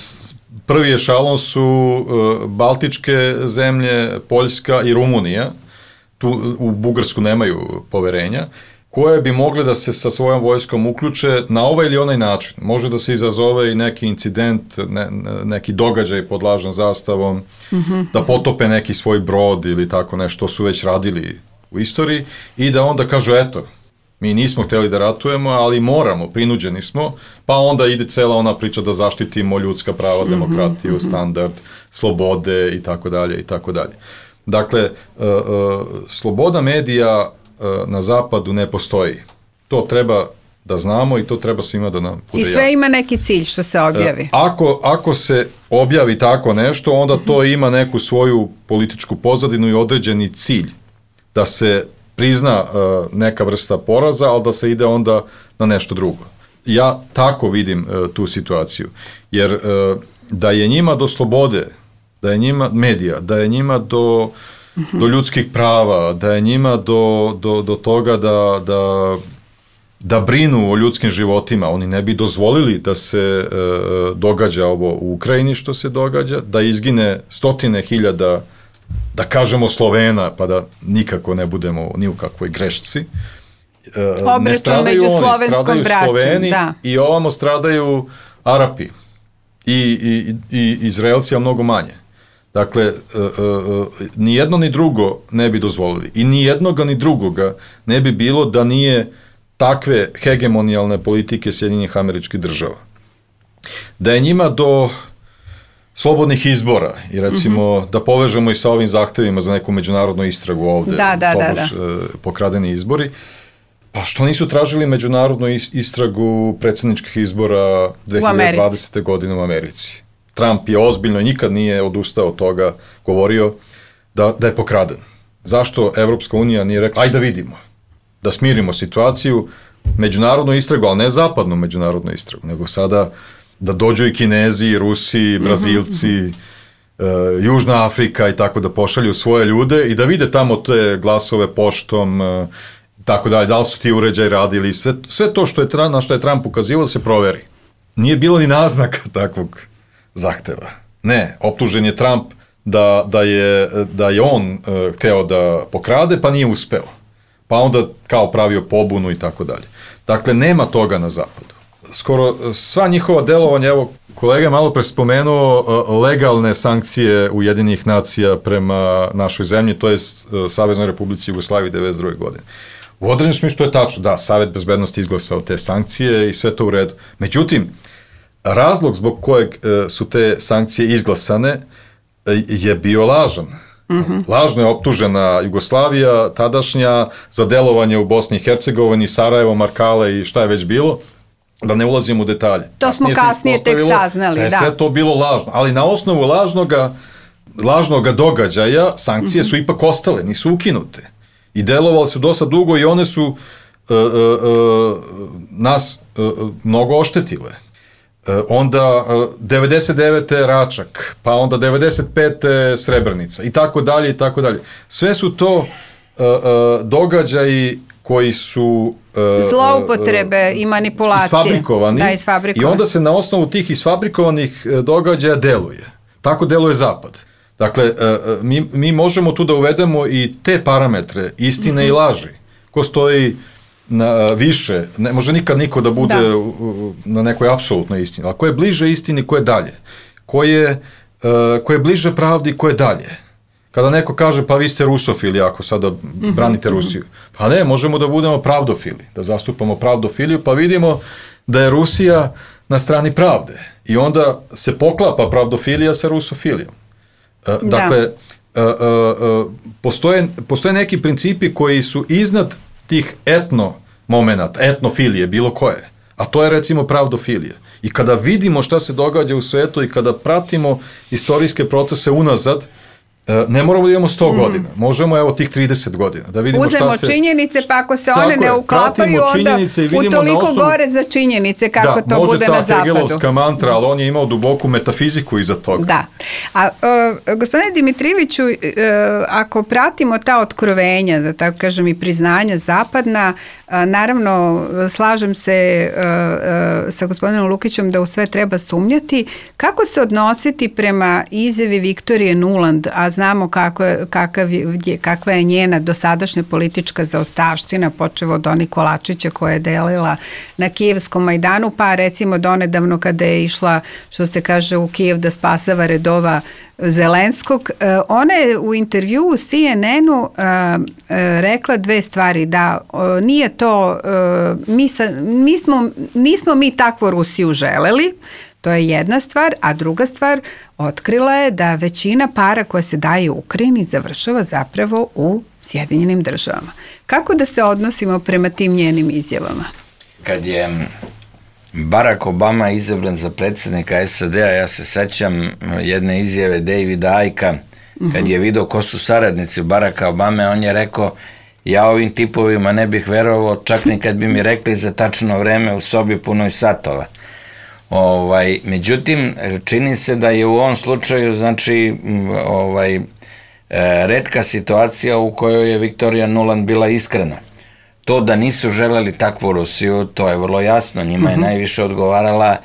prvi ešalon su baltičke zemlje, Poljska i Rumunija. Tu u Bugarsku nemaju poverenja, koje bi mogle da se sa svojom vojskom uključe na ovaj ili onaj način. Može da se izazove i neki incident, neki događaj pod lažnom zastavom, da potope neki svoj brod ili tako nešto, su već radili u istoriji, i da onda kažu, eto, mi nismo hteli da ratujemo, ali moramo, prinuđeni smo, pa onda ide cela ona priča da zaštitimo ljudska prava, demokratiju, standard, slobode i tako dalje i tako dalje. Dakle, sloboda medija na zapadu ne postoji. To treba da znamo i to treba svima da nam bude jasno. I sve ima neki cilj što se objavi. Ako se objavi tako nešto, onda to ima neku svoju političku pozadinu i određeni cilj. Da se prizna neka vrsta poraza, ali da se ide onda na nešto drugo. Ja tako vidim tu situaciju. Jer da je njima do slobode, da je njima medija, da je njima do ljudskih prava, da je njima do toga da brinu o ljudskim životima, oni ne bi dozvolili da se događa ovo u Ukrajini što se događa, da izgine stotine hiljada, da kažemo Slovena, pa da nikako ne budemo ni u kakvoj grešci. Ne stradaju oni, stradaju Sloveni i ovamo stradaju Arapi i Izraelci, a mnogo manje. Dakle, ni jedno ni drugo ne bi dozvolili i ni jednoga ni drugoga ne bi bilo da nije takve hegemonijalne politike Sjedinjenih Američkih Država. Da je njima do slobodnih izbora i recimo da povežemo i sa ovim zahtevima za neku međunarodnu istragu ovde, pokradeni izbori, pa što nisu tražili međunarodnu istragu predsjedničkih izbora 2020. godine u Americi? Trump je ozbiljno i nikad nije odustao od toga, govorio da je pokraden. Zašto Evropska unija nije rekla, ajde da vidimo, da smirimo situaciju, međunarodnu istragu, ali ne zapadnu međunarodnu istragu, nego sada da dođu i Kinezi, i Rusi, i Brazilci, Južna Afrika i tako, da pošalju svoje ljude i da vide tamo te glasove poštom, tako dalje, da li su ti uređaji radili, sve to na što je Trump ukazivao da se proveri. Nije bilo ni naznaka takvog zahteva. Ne, optužen je Trump da je on hteo da pokrade, pa nije uspeo. Pa onda kao pravio pobunu i tako dalje. Dakle, nema toga na zapadu. Skoro sva njihova delovanja, evo, kolega je malo pre spomenuo legalne sankcije Ujedinjenih nacija prema našoj zemlji, to je Saveznoj Republici Jugoslaviji 1992. godine. U određenom smislu to je tačno, da, Savet bezbednosti izglasao te sankcije i sve to u redu. Međutim, razlog zbog kojeg su te sankcije izglasane je bio lažan. Lažno je optužena Jugoslavija, tadašnja, za delovanje u Bosni i Hercegovini, Sarajevo, Markale i šta je već bilo, da ne ulazim u detalje. To smo kasnije tek saznali, da. Sve to bilo lažno, ali na osnovu lažnog događaja sankcije su ipak ostale, nisu ukinute. I delovali su dosta dugo i one su nas mnogo oštetile. Onda 99. Račak, pa onda 95. Srebrenica i tako dalje i tako dalje. Sve su to događaji koji su zloupotrebe i manipulacije. Isfabrikovani. Da, isfabrikovani. I onda se na osnovu tih isfabrikovanih događaja deluje. Tako deluje Zapad. Dakle, mi možemo tu da uvedemo i te parametre, istine i laži, ko stoji više, ne može nikad niko da bude na nekoj apsolutnoj istini, ali ko je bliže istini, ko je dalje, ko je bliže pravdi, ko je dalje. Kada neko kaže, pa vi ste rusofili ako sada branite Rusiju, pa ne, možemo da budemo pravdofili, da zastupamo pravdofiliju, pa vidimo da je Rusija na strani pravde i onda se poklapa pravdofilija sa rusofilijom. Dakle, postoje neki principi koji su iznad tih etnofilije, bilo koje, a to je recimo pravdofilija. I kada vidimo šta se događa u svetu i kada pratimo istorijske procese unazad, ne moramo da imamo 100 godina, možemo evo tih 30 godina, da vidimo šta se... Uzmemo činjenice, pa ako se one ne uklapaju, onda utoliko gore za činjenice kako to bude na zapadu. Može ta Hegelovska mantra, ali on je imao duboku metafiziku iza toga. Da. A gospodine Dimitrijeviću, ako pratimo ta otkrovenja, da tako kažem, i priznanja zapadna, naravno, slažem se sa gospodinom Lukićem da u sve treba sumnjati. Kako se odnositi prema izjavi Viktorije Nuland, a znamo kakva je njena dosadašnja politička zaostavština, počevo od onih kolačića koje je delila na Kijevskom Majdanu, pa recimo donedavno kada je išla, što se kaže, u Kijev da spasava redova Zelenskog. Ona je u intervju u CNN-u rekla dve stvari, da nije to, nismo mi takvu Rusiju želeli, to je jedna stvar, a druga stvar, otkrila je da većina para koja se daje u Ukrajini završava zapravo u Sjedinjenim Državama. Kako da se odnosimo prema tim njenim izjavama? Kad je Barack Obama izabran za predsjednika SAD-a, ja se sećam jedne izjave Davida Icka, kad je vidio ko su saradnici Baracka Obame, on je rekao, ja ovim tipovima ne bih verovao, čak ni kad bi mi rekli za tačno vreme u sobi punoj satova. Međutim, čini se da je u ovom slučaju, znači, retka situacija u kojoj je Viktorija Nuland bila iskrena. To da nisu želeli takvu Rusiju, to je vrlo jasno, njima je najviše odgovarala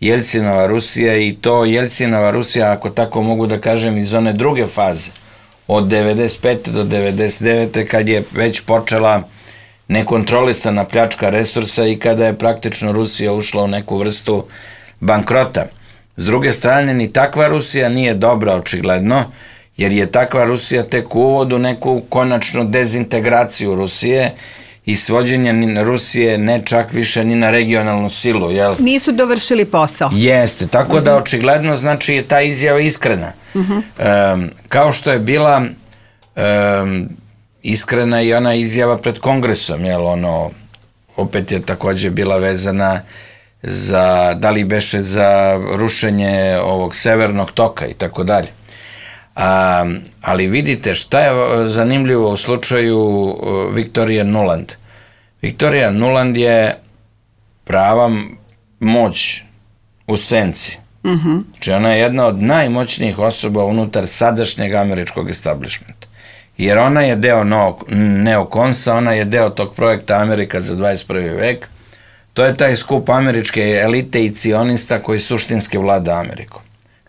Jelcinova Rusija i to Jelcinova Rusija, ako tako mogu da kažem, iz one druge faze, od 95. do 99. kad je već počela nekontrolisana pljačka resursa i kada je praktično Rusija ušla u neku vrstu bankrota. S druge strane, ni takva Rusija nije dobra, očigledno, jer je takva Rusija tek u uvodu neku konačnu dezintegraciju Rusije i svođenje Rusije ne čak više ni na regionalnu silu. Jel? Nisu dovršili posao. Jeste, tako da očigledno znači je ta izjava iskrena. Kao što je bila iskrena i ona izjava pred Kongresom, jel, opet je takođe bila vezana za, da li beše za rušenje ovog severnog toka i tako dalje. Ali vidite šta je zanimljivo u slučaju Viktorije Nuland. Viktorija Nuland je prava moć u senci. Znači ona je jedna od najmoćnijih osoba unutar sadašnjeg američkog establishmenta. Jer ona je deo neokonsa, ona je deo tog projekta Amerika za 21. vek. To je taj skup američke elite i cionista koji suštinski vlada Amerikom.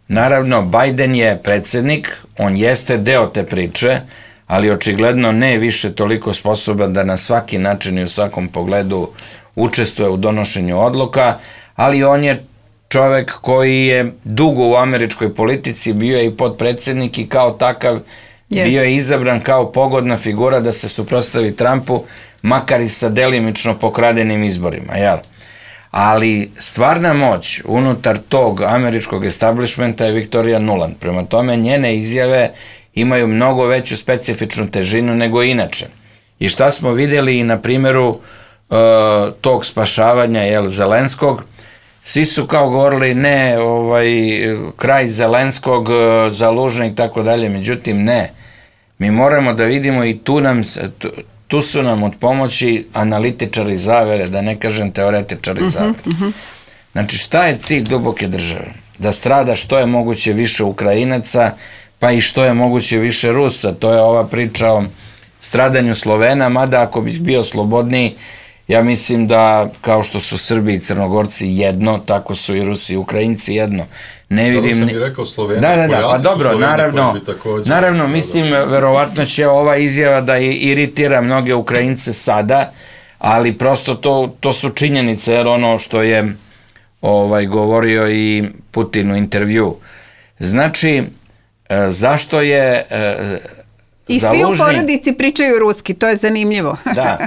Naravno, Biden je predsjednik, on jeste deo te priče, ali očigledno ne više toliko sposoban da na svaki način i u svakom pogledu učestvuje u donošenju odluka, ali on je čovek koji je dugo u američkoj politici, bio je i podpredsjednik i kao takav bio je izabran kao pogodna figura da se suprotstavi Trumpu, makar i sa delimično pokradenim izborima, jel? Ali stvarna moć unutar tog američkog establishmenta je Viktorija Nuland. Prema tome, njene izjave imaju mnogo veću specifičnu težinu nego inače. I šta smo vidjeli na primjeru tog spašavanja Zelenskog, svi su kao govorili ne, kraj Zelenskog, Zalužni i tako dalje, međutim ne. Mi moramo da vidimo i tu su nam od pomoći analitičari zavere, da ne kažem teoretičari zavere. Znači šta je cilj duboke države? Da strada što je moguće više Ukrajinaca, pa i što je moguće više Rusa. To je ova priča o stradanju Slovena, mada ako bih bio slobodniji, ja mislim da kao što su Srbi i Crnogorci jedno, tako su i Rusi i Ukrajinci jedno. Ne vidim... Dobro sam i rekao Sloveni, pa dobro, naravno, mislim, verovatno će ova izjava da iritira mnoge Ukrajince sada, ali prosto to su činjenice, jer ono što je govorio i Putin u intervju. Znači, zašto je... I svi u porodici pričaju ruski, to je zanimljivo. Da,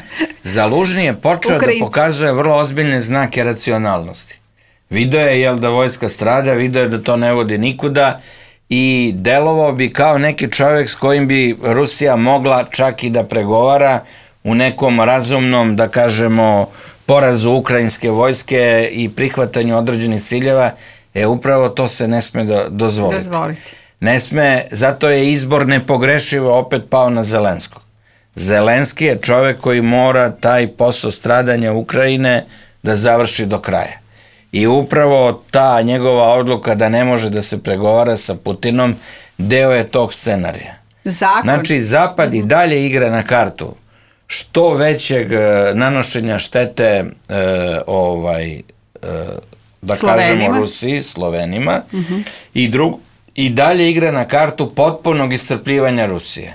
Zalužni je počeo da pokazuje vrlo ozbiljne znake racionalnosti. Video je da vojska strada, video je da to ne vodi nikuda i delovao bi kao neki čovjek s kojim bi Rusija mogla čak i da pregovara u nekom razumnom, da kažemo, porazu ukrajinske vojske i prihvatanju određenih ciljeva. Upravo to se ne sme dozvoliti. Ne sme, zato je izbor nepogrešivo opet pao na Zelenskog. Zelenski je čovjek koji mora taj posao stradanja Ukrajine da završi do kraja. I upravo ta njegova odluka da ne može da se pregovara sa Putinom deo je tog scenarija. Znači, Zapad i dalje igra na kartu što većeg nanošenja štete da kažemo Rusiji, Slovenima i dalje igra na kartu potpunog iscrpljivanja Rusije.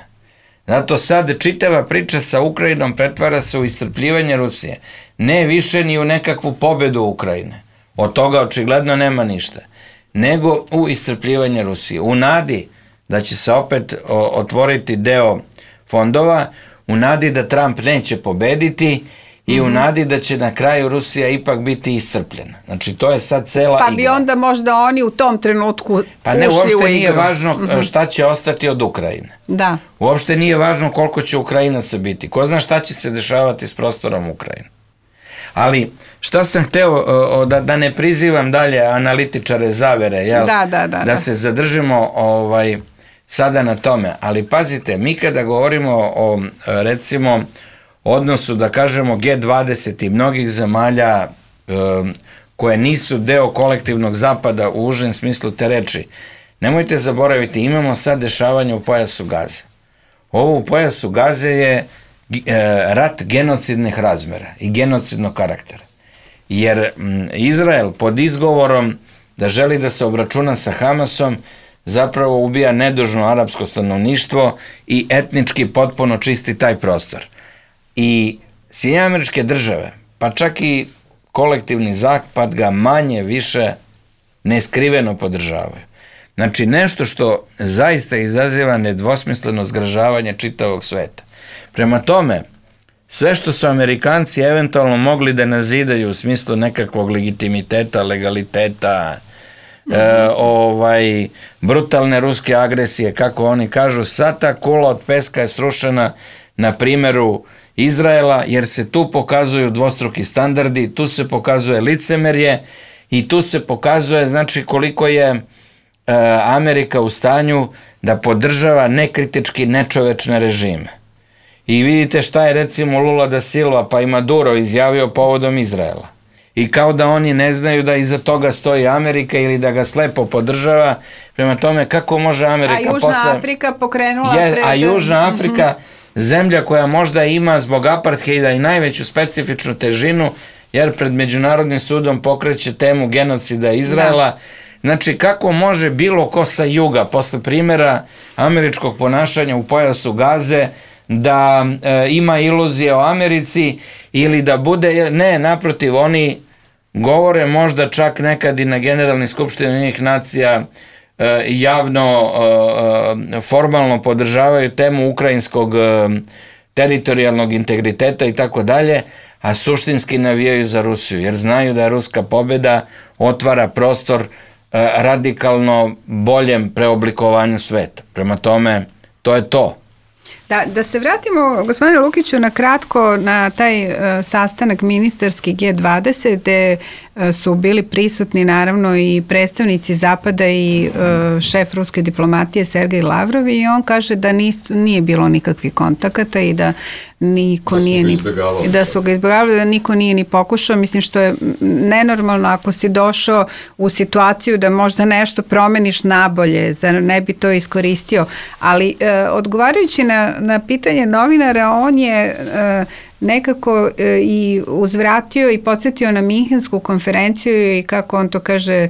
Zato sad čitava priča sa Ukrajinom pretvara se u iscrpljivanje Rusije. Ne više ni u nekakvu pobedu Ukrajine. Od toga očigledno nema ništa. Nego u iscrpljivanje Rusije. U nadi da će se opet otvoriti deo fondova, u nadi da Trump neće pobediti i u nadi da će na kraju Rusija ipak biti iscrpljena. Znači, to je sad cela igra. Pa bi onda možda oni u tom trenutku ušli u igru. Pa ne, uopšte nije važno šta će ostati od Ukrajine. Da. Uopšte nije važno koliko će Ukrajinaca biti. Ko zna šta će se dešavati s prostorom Ukrajine. Ali, šta sam hteo, da ne prizivam dalje analitičare zavere, jel? Da se zadržimo sada na tome. Ali pazite, mi kada govorimo o, recimo, odnosu, da kažemo, G20 i mnogih zemalja koje nisu deo kolektivnog zapada u užem smislu te reči, nemojte zaboraviti, imamo sad dešavanje u pojasu Gaze. Ovo u pojasu Gaze je rat genocidnih razmera i genocidnog karaktera. Jer Izrael pod izgovorom da želi da se obračuna sa Hamasom zapravo ubija nedužno arapsko stanovništvo i etnički potpuno čisti taj prostor. I Sjedinjene Američke Države, pa čak i kolektivni zapad ga manje više neskriveno podržavaju. Znači nešto što zaista izaziva nedvosmisleno zgražavanje čitavog sveta. Prema tome, sve što su Amerikanci eventualno mogli da nazidaju u smislu nekakvog legitimiteta, legaliteta, brutalne ruske agresije, kako oni kažu, sad ta kula od peska je srušena na primjeru Izraela, jer se tu pokazuju dvostruki standardi, tu se pokazuje licemerje i tu se pokazuje, znači, koliko je Amerika u stanju da podržava nekritički nečovečne režime. I vidite šta je recimo Lula da Silva pa i Maduro izjavio povodom Izraela. I kao da oni ne znaju da iza toga stoji Amerika ili da ga slepo podržava. Prema tome, kako može Amerika posle... A Južna Afrika pokrenula pred... A Južna Afrika, zemlja koja možda ima zbog apartheida i najveću specifičnu težinu, jer pred Međunarodnim sudom pokreće temu genocida Izraela. Znači, kako može bilo ko sa juga, posle primjera američkog ponašanja u pojasu Gaze, da ima iluzije o Americi ili da bude... Ne, naprotiv, oni govore možda čak nekad i na Generalnoj skupštini Ujedinjenih nacija javno, formalno podržavaju temu ukrajinskog teritorijalnog integriteta i tako dalje, a suštinski navijaju za Rusiju, jer znaju da je ruska pobjeda otvara prostor radikalno boljem preoblikovanju sveta. Prema tome, To je to. Da se vratimo, gospodine Lukiću, na kratko na taj sastanak ministarski G20 gde su bili prisutni naravno i predstavnici Zapada i šef ruske diplomatije Sergej Lavrov i on kaže da nije bilo nikakvih kontakata i da niko da su ga izbjegavali, da niko nije ni pokušao, mislim što je nenormalno ako si došao u situaciju da možda nešto promeniš nabolje, zar ne bi to iskoristio, ali odgovarajući na pitanje novinara, on je nekako i uzvratio i podsjetio na Minhensku konferenciju i kako on to kaže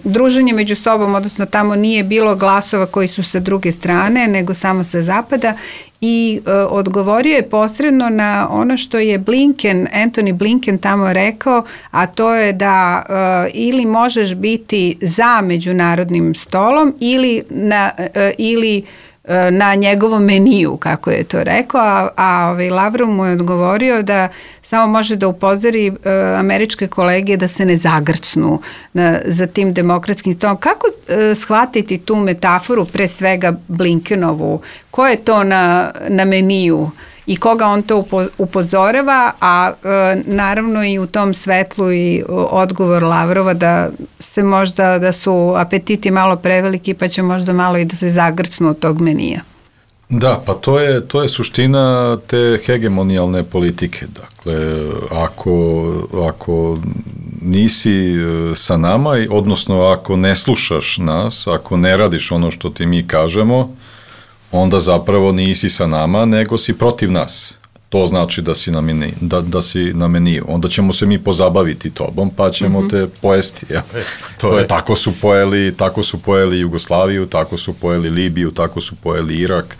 druženje među sobom, odnosno tamo nije bilo glasova koji su sa druge strane, nego samo sa zapada i odgovorio je posredno na ono što je Anthony Blinken tamo rekao, a to je da ili možeš biti za međunarodnim stolom ili na njegovom meniju, kako je to rekao, a Lavrov mu je odgovorio da samo može da upozori američke kolege da se ne zagrcnu za tim demokratskim stolom. Kako shvatiti tu metaforu, pre svega Blinkenovu? Ko je to na meniju? I koga on to upozorava, a naravno i u tom svetlu i odgovor Lavrova da su apetiti malo preveliki pa će možda malo i da se zagrcnu od tog menija. Da, pa to je suština te hegemonijalne politike. Dakle, ako nisi sa nama, odnosno ako ne slušaš nas, ako ne radiš ono što ti mi kažemo, onda zapravo nisi sa nama, nego si protiv nas. To znači da si na meniju. Onda ćemo se mi pozabaviti tobom, pa ćemo te pojesti. Ja. Tako su pojeli Jugoslaviju, tako su pojeli Libiju, tako su pojeli Irak,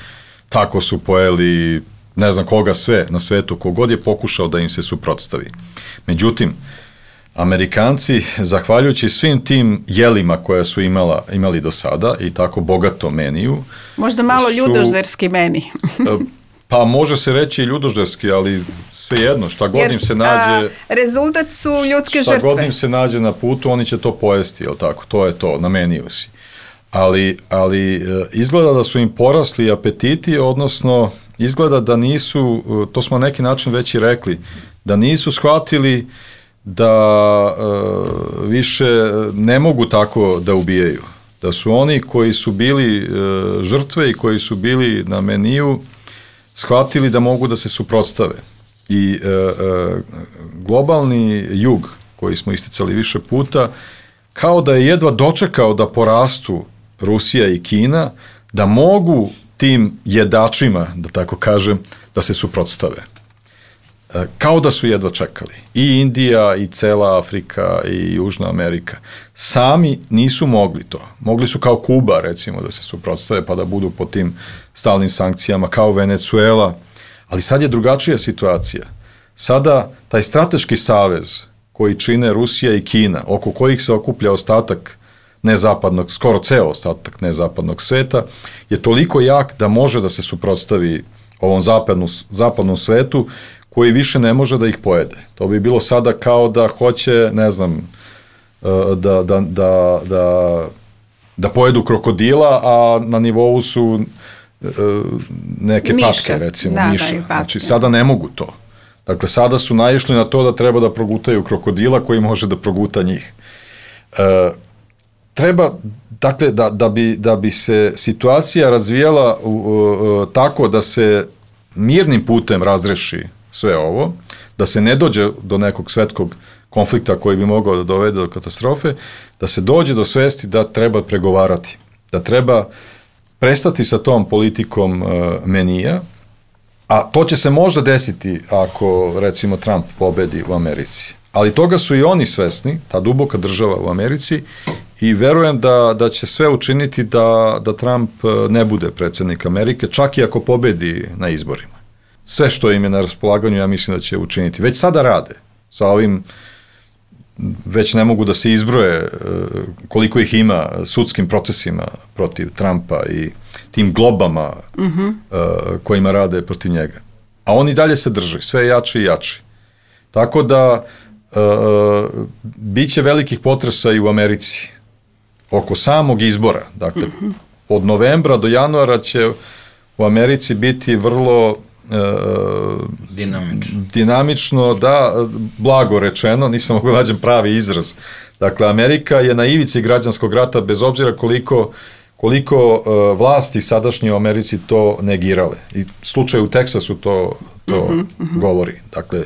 tako su pojeli ne znam koga sve na svetu, kogod je pokušao da im se suprotstavi. Međutim, Amerikanci, zahvaljujući svim tim jelima koja su imali do sada i tako bogato meniju... Možda malo ljudožderski meni. Pa može se reći i ljudožderski, ali svejedno, šta god im se nađe... Rezultat su ljudske žrtve. Šta god im se nađe na putu, oni će to pojesti, jel tako? To je to, na meniju si. Ali izgleda da su im porasli apetiti, odnosno izgleda da nisu, to smo na neki način već i rekli, da nisu shvatili da više ne mogu tako da ubijaju. Da su oni koji su bili žrtve i koji su bili na meniju shvatili da mogu da se suprotstave. I globalni jug, koji smo isticali više puta, kao da je jedva dočekao da porastu Rusija i Kina, da mogu tim jedačima, da tako kažem, da se suprotstave. Kao da su jedva čekali. I Indija, i cela Afrika, i Južna Amerika. Sami nisu mogli to. Mogli su kao Kuba, recimo, da se suprotstave, pa da budu pod tim stalnim sankcijama, kao Venezuela. Ali sad je drugačija situacija. Sada taj strateški savez koji čine Rusija i Kina, oko kojih se okuplja ostatak nezapadnog, skoro ceo ostatak nezapadnog sveta, je toliko jak da može da se suprotstavi ovom zapadnom svetu, koji više ne može da ih pojede. To bi bilo sada kao da hoće, ne znam, da pojedu krokodila, a na nivou su neke patke, recimo, miša. Znači, sada ne mogu to. Dakle, sada su naišli na to da treba da progutaju krokodila koji može da proguta njih. Treba, dakle, da bi se situacija razvijala tako da se mirnim putem razreši sve ovo, da se ne dođe do nekog svetskog konflikta koji bi mogao da dovede do katastrofe, da se dođe do svesti da treba pregovarati, da treba prestati sa tom politikom menija, a to će se možda desiti ako, recimo, Trump pobedi u Americi. Ali toga su i oni svesni, ta duboka država u Americi, i verujem da će sve učiniti da Trump ne bude predsjednik Amerike, čak i ako pobedi na izborima. Sve što im je na raspolaganju, ja mislim da će učiniti. Već sada rade. Sa ovim već ne mogu da se izbroje koliko ih ima sudskim procesima protiv Trumpa i tim globama kojima rade protiv njega. A oni dalje se drže, sve jači i jači. Tako da bit će velikih potresa i u Americi oko samog izbora. Dakle, od novembra do januara će u Americi biti vrlo dinamično, da, blago rečeno, nisam mogu nađem pravi izraz. Dakle, Amerika je na ivici građanskog rata, bez obzira koliko vlasti sadašnje u Americi to negirale. I slučaj u Teksasu to govori. Dakle,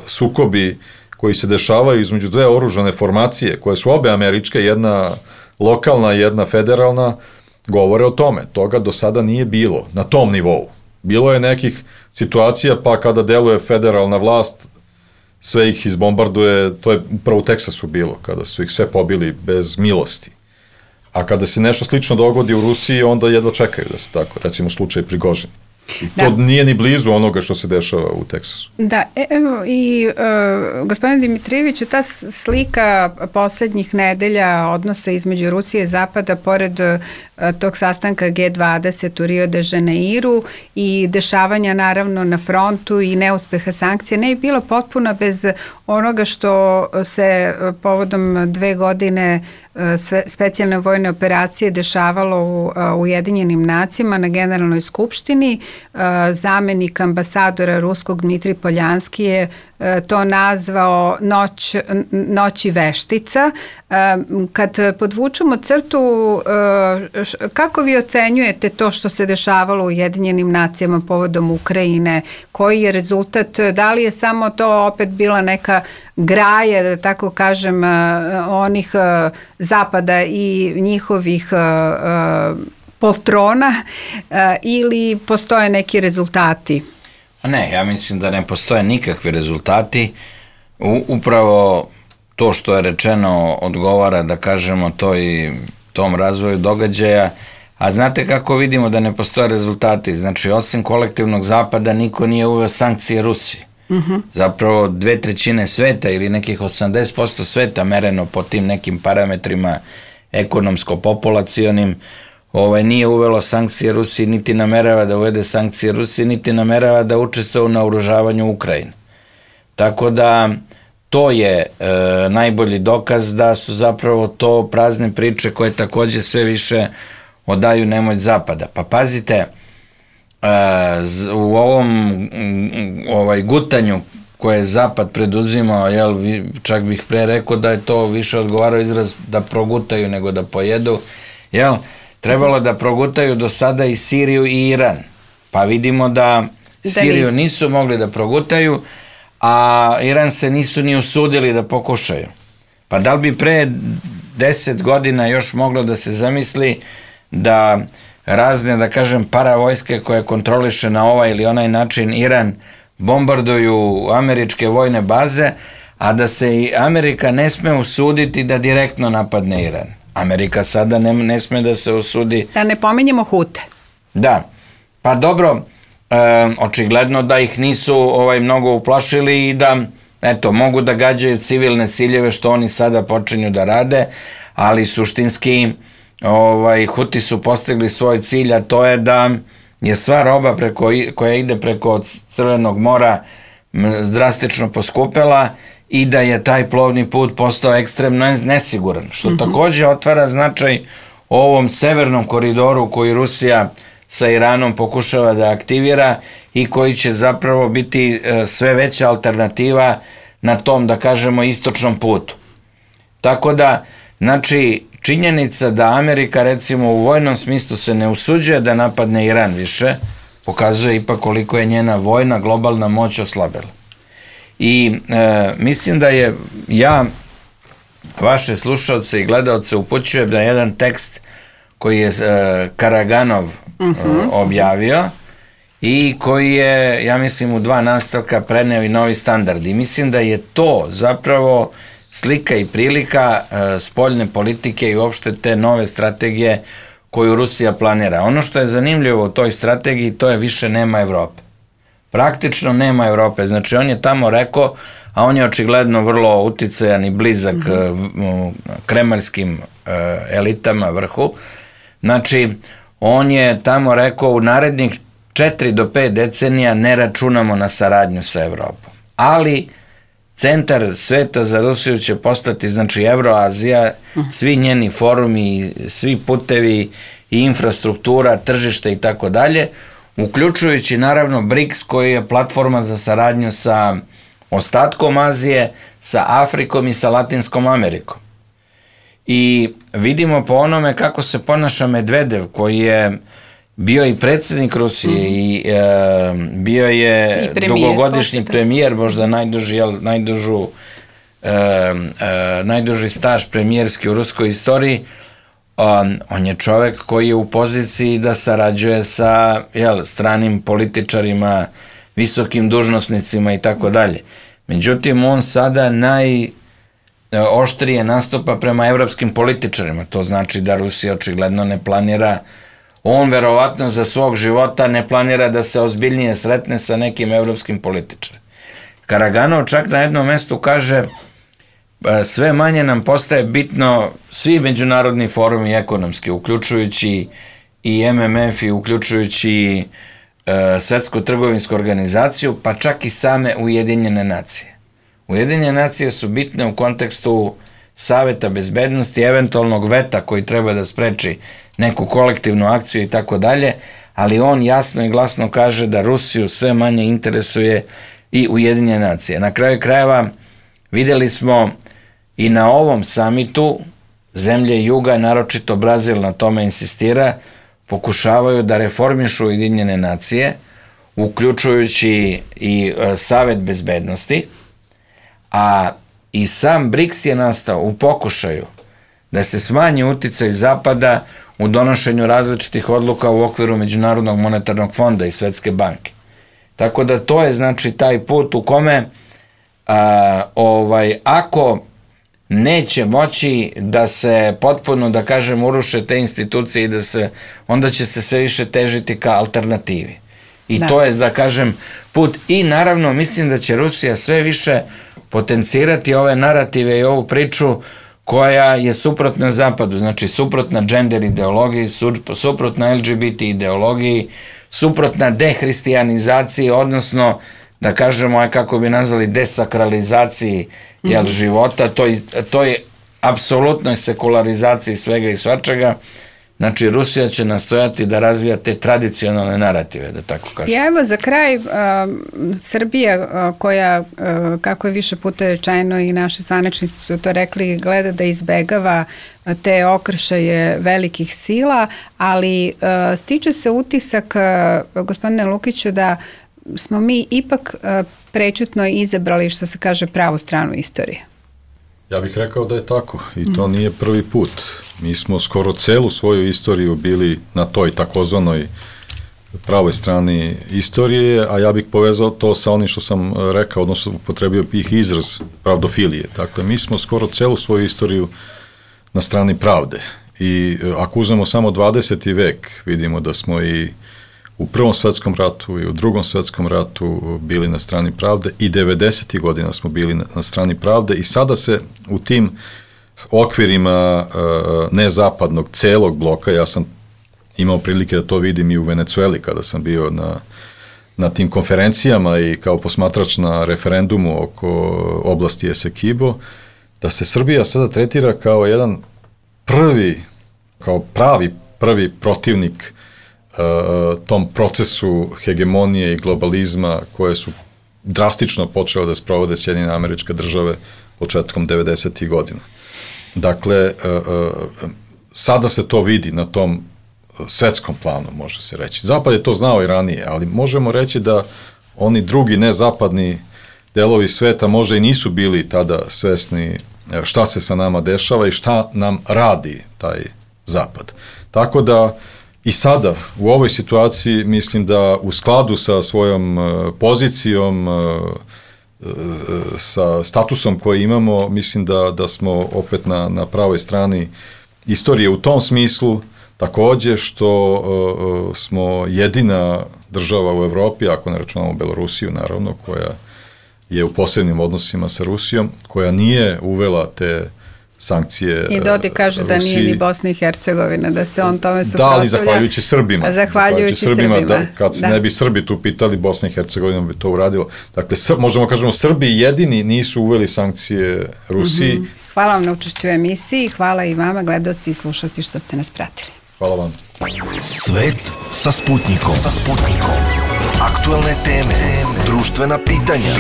sukobi koji se dešavaju između dve oružane formacije, koje su obe američke, jedna lokalna, jedna federalna, govore o tome. Toga do sada nije bilo na tom nivou. Bilo je nekih situacija, pa kada deluje federalna vlast, sve ih izbombarduje, to je upravo u Teksasu bilo, kada su ih sve pobili bez milosti. A kada se nešto slično dogodi u Rusiji, onda jedva čekaju da se tako, recimo slučaj Prigožin. I to nije ni blizu onoga što se dešava u Teksasu. Da, evo i gospodine Dimitrijeviću, ta slika poslednjih nedelja odnosa između Rusije i Zapada, pored tog sastanka G20 u Rio de Janeiru i dešavanja naravno na frontu i neuspeha sankcija, ne je bilo potpuno bez onoga što se povodom 2 godine specijalne vojne operacije dešavalo u Ujedinjenim nacijama na Generalnoj skupštini. Zamenik ambasadora ruskog Dmitrij Poljanski je to nazvao noći veštica. Kad podvučemo crtu, kako vi ocenjujete to što se dešavalo u Ujedinjenim nacijama povodom Ukrajine? Koji je rezultat? Da li je samo to opet bila neka graja, da tako kažem, onih Zapada i njihovih poltrona ili postoje neki rezultati? Ne, ja mislim da ne postoje nikakvi rezultati. Upravo to što je rečeno odgovara, da kažemo, tom razvoju događaja. A znate kako vidimo da ne postoje rezultati? Znači, osim kolektivnog Zapada, niko nije uveo sankcije Rusiji. Zapravo 2/3 sveta ili nekih 80% sveta mereno po tim nekim parametrima ekonomsko-populacionim nije uvelo sankcije Rusiji, niti namerava da uvede sankcije Rusiji, niti namerava da učestvuje u naoružavanju Ukrajine. Tako da to je najbolji dokaz da su zapravo to prazne priče koje takođe sve više odaju nemoć Zapada. Pa pazite, u ovom gutanju koje je Zapad preduzimao, čak bih pre rekao da je to više odgovarao izraz da progutaju nego da pojedu, trebalo da progutaju do sada i Siriju i Iran. Pa vidimo da Siriju nisu mogli da progutaju, a Iran se nisu ni usudili da pokušaju. Pa da li bi pre 10 godina još moglo da se zamisli da razne, da kažem, paravojske koje kontroliše na ovaj ili onaj način Iran bombarduju američke vojne baze, a da se i Amerika ne sme usuditi da direktno napadne Iran. Amerika sada ne sme da se usudi. Da ne pominjemo Hute. Da, pa dobro, očigledno da ih nisu mnogo uplašili i da, mogu da gađaju civilne ciljeve što oni sada počinju da rade, ali suštinski Huti su postigli svoj cilj, a to je da je sva roba koja ide preko Crvenog mora drastično poskupela i da je taj plovni put postao ekstremno nesiguran, što takođe otvara značaj ovom severnom koridoru koji Rusija sa Iranom pokušava da aktivira i koji će zapravo biti sve veća alternativa na tom, da kažemo, istočnom putu. Tako da, znači, činjenica da Amerika, recimo, u vojnom smislu se ne usuđuje da napadne Iran više, pokazuje ipak koliko je njena vojna globalna moć oslabela. I mislim da je vaše slušalce i gledalce upućujem na jedan tekst koji je Karaganov objavio i koji je, ja mislim, u 2 nastavka preneo i novi standard. I mislim da je to zapravo slika i prilika spoljne politike i uopšte te nove strategije koju Rusija planira. Ono što je zanimljivo u toj strategiji, to je više nema Evrope. Praktično nema Evrope. Znači, on je tamo rekao, a on je očigledno vrlo uticajan i blizak kremaljskim elitama vrhu. Znači, on je tamo rekao, u narednih 4 do 5 decenija ne računamo na saradnju sa Evropom. Ali centar sveta za Rusiju će postati, znači, Evroazija, svi njeni forumi, svi putevi i infrastruktura, tržište i tako dalje, uključujući naravno BRICS koji je platforma za saradnju sa ostatkom Azije, sa Afrikom i sa Latinskom Amerikom. I vidimo po onome kako se ponaša Medvedev, koji je bio i predsjednik Rusije i bio je dugogodišnji premijer, možda najduži staž premijerski u ruskoj istoriji. On je čovek koji je u poziciji da sarađuje sa stranim političarima, visokim dužnosnicima i tako dalje. Međutim, on sada najoštrije nastupa prema evropskim političarima. To znači da Rusija očigledno ne planira, on verovatno za svog života ne planira da se ozbiljnije sretne sa nekim evropskim političarima. Karaganov čak na jednom mestu kaže sve manje nam postaje bitno svi međunarodni forumi ekonomski, uključujući i MMF i uključujući Svetsku trgovinsku organizaciju, pa čak i same Ujedinjene nacije. Ujedinjene nacije su bitne u kontekstu Saveta bezbednosti, eventualnog veta koji treba da spreči neku kolektivnu akciju i tako dalje, ali on jasno i glasno kaže da Rusiju sve manje interesuje i Ujedinjene nacije. Na kraju krajeva videli smo i na ovom samitu zemlje juga, naročito Brazil na tome insistira, pokušavaju da reformišu Ujedinjene nacije, uključujući i Savet bezbednosti, a i sam BRICS je nastao u pokušaju da se smanji uticaj Zapada u donošenju različitih odluka u okviru Međunarodnog monetarnog fonda i Svetske banke. Tako da to je znači taj put u kome ako neće moći da se potpuno, da kažem, uruše te institucije i onda će se sve više težiti ka alternativi. I to je, da kažem, put. I naravno, mislim da će Rusija sve više potencirati ove narative i ovu priču koja je suprotna Zapadu, znači suprotna gender ideologiji, suprotna LGBT ideologiji, suprotna dehristijanizaciji, odnosno, da kažemo, kako bi nazvali, desakralizaciji života, to je apsolutnoj sekularizaciji svega i svačega. Znači, Rusija će nastojati da razvija te tradicionalne narative, da tako kažem. I evo za kraj, Srbija koja, kako je više puta rečeno i naši zvaničnici su to rekli, gleda da izbegava te okršaje velikih sila, ali stiče se utisak, gospodine Lukiću, da smo mi ipak prećutno izabrali, što se kaže, pravu stranu istorije. Ja bih rekao da je tako i to nije prvi put. Mi smo skoro celu svoju istoriju bili na toj takozvanoj pravoj strani istorije, a ja bih povezao to sa onim što sam rekao, odnosno upotrebio bih izraz pravdofilije. Dakle, mi smo skoro celu svoju istoriju na strani pravde i ako uzmemo samo 20. vek, vidimo da smo i u Prvom svetskom ratu i u Drugom svetskom ratu bili na strani pravde i 90. godina smo bili na strani pravde i sada se u tim okvirima nezapadnog celog bloka, ja sam imao prilike da to vidim i u Venecueli kada sam bio na tim konferencijama i kao posmatrač na referendumu oko oblasti Esequibo, da se Srbija sada tretira kao jedan pravi prvi protivnik tom procesu hegemonije i globalizma koje su drastično počele da sprovode Sjedinjene Američke Države početkom 90. godina. Dakle, sada se to vidi na tom svetskom planu, može se reći. Zapad je to znao i ranije, ali možemo reći da oni drugi nezapadni delovi sveta možda i nisu bili tada svesni šta se sa nama dešava i šta nam radi taj Zapad. Tako da i sada, u ovoj situaciji, mislim da u skladu sa svojom pozicijom, sa statusom koji imamo, mislim da smo opet na pravoj strani istorije u tom smislu, takođe što smo jedina država u Evropi, ako ne računamo Belorusiju, naravno, koja je u posebnim odnosima sa Rusijom, koja nije uvela te sankcije. I Dodik kaže da nije ni Bosna i Hercegovina, da se on tome suprotstavlja. Da, ali zahvaljujući Srbima. Zahvaljujući Srbima. Kad se ne bi Srbi tu pitali, Bosna i Hercegovina bi to uradila. Dakle, možemo kažemo, Srbi jedini nisu uveli sankcije Rusiji. Hvala vam na učešću u emisiji, hvala i vama, gledaoci i slušalci, što ste nas pratili. Hvala vam. Svet sa Sputnikom. Aktuelne teme, društvena pitanja,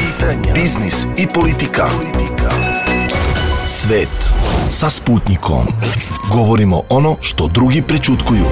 biznis i politika. Svet sa Sputnikom. Govorimo ono što drugi prećutkuju.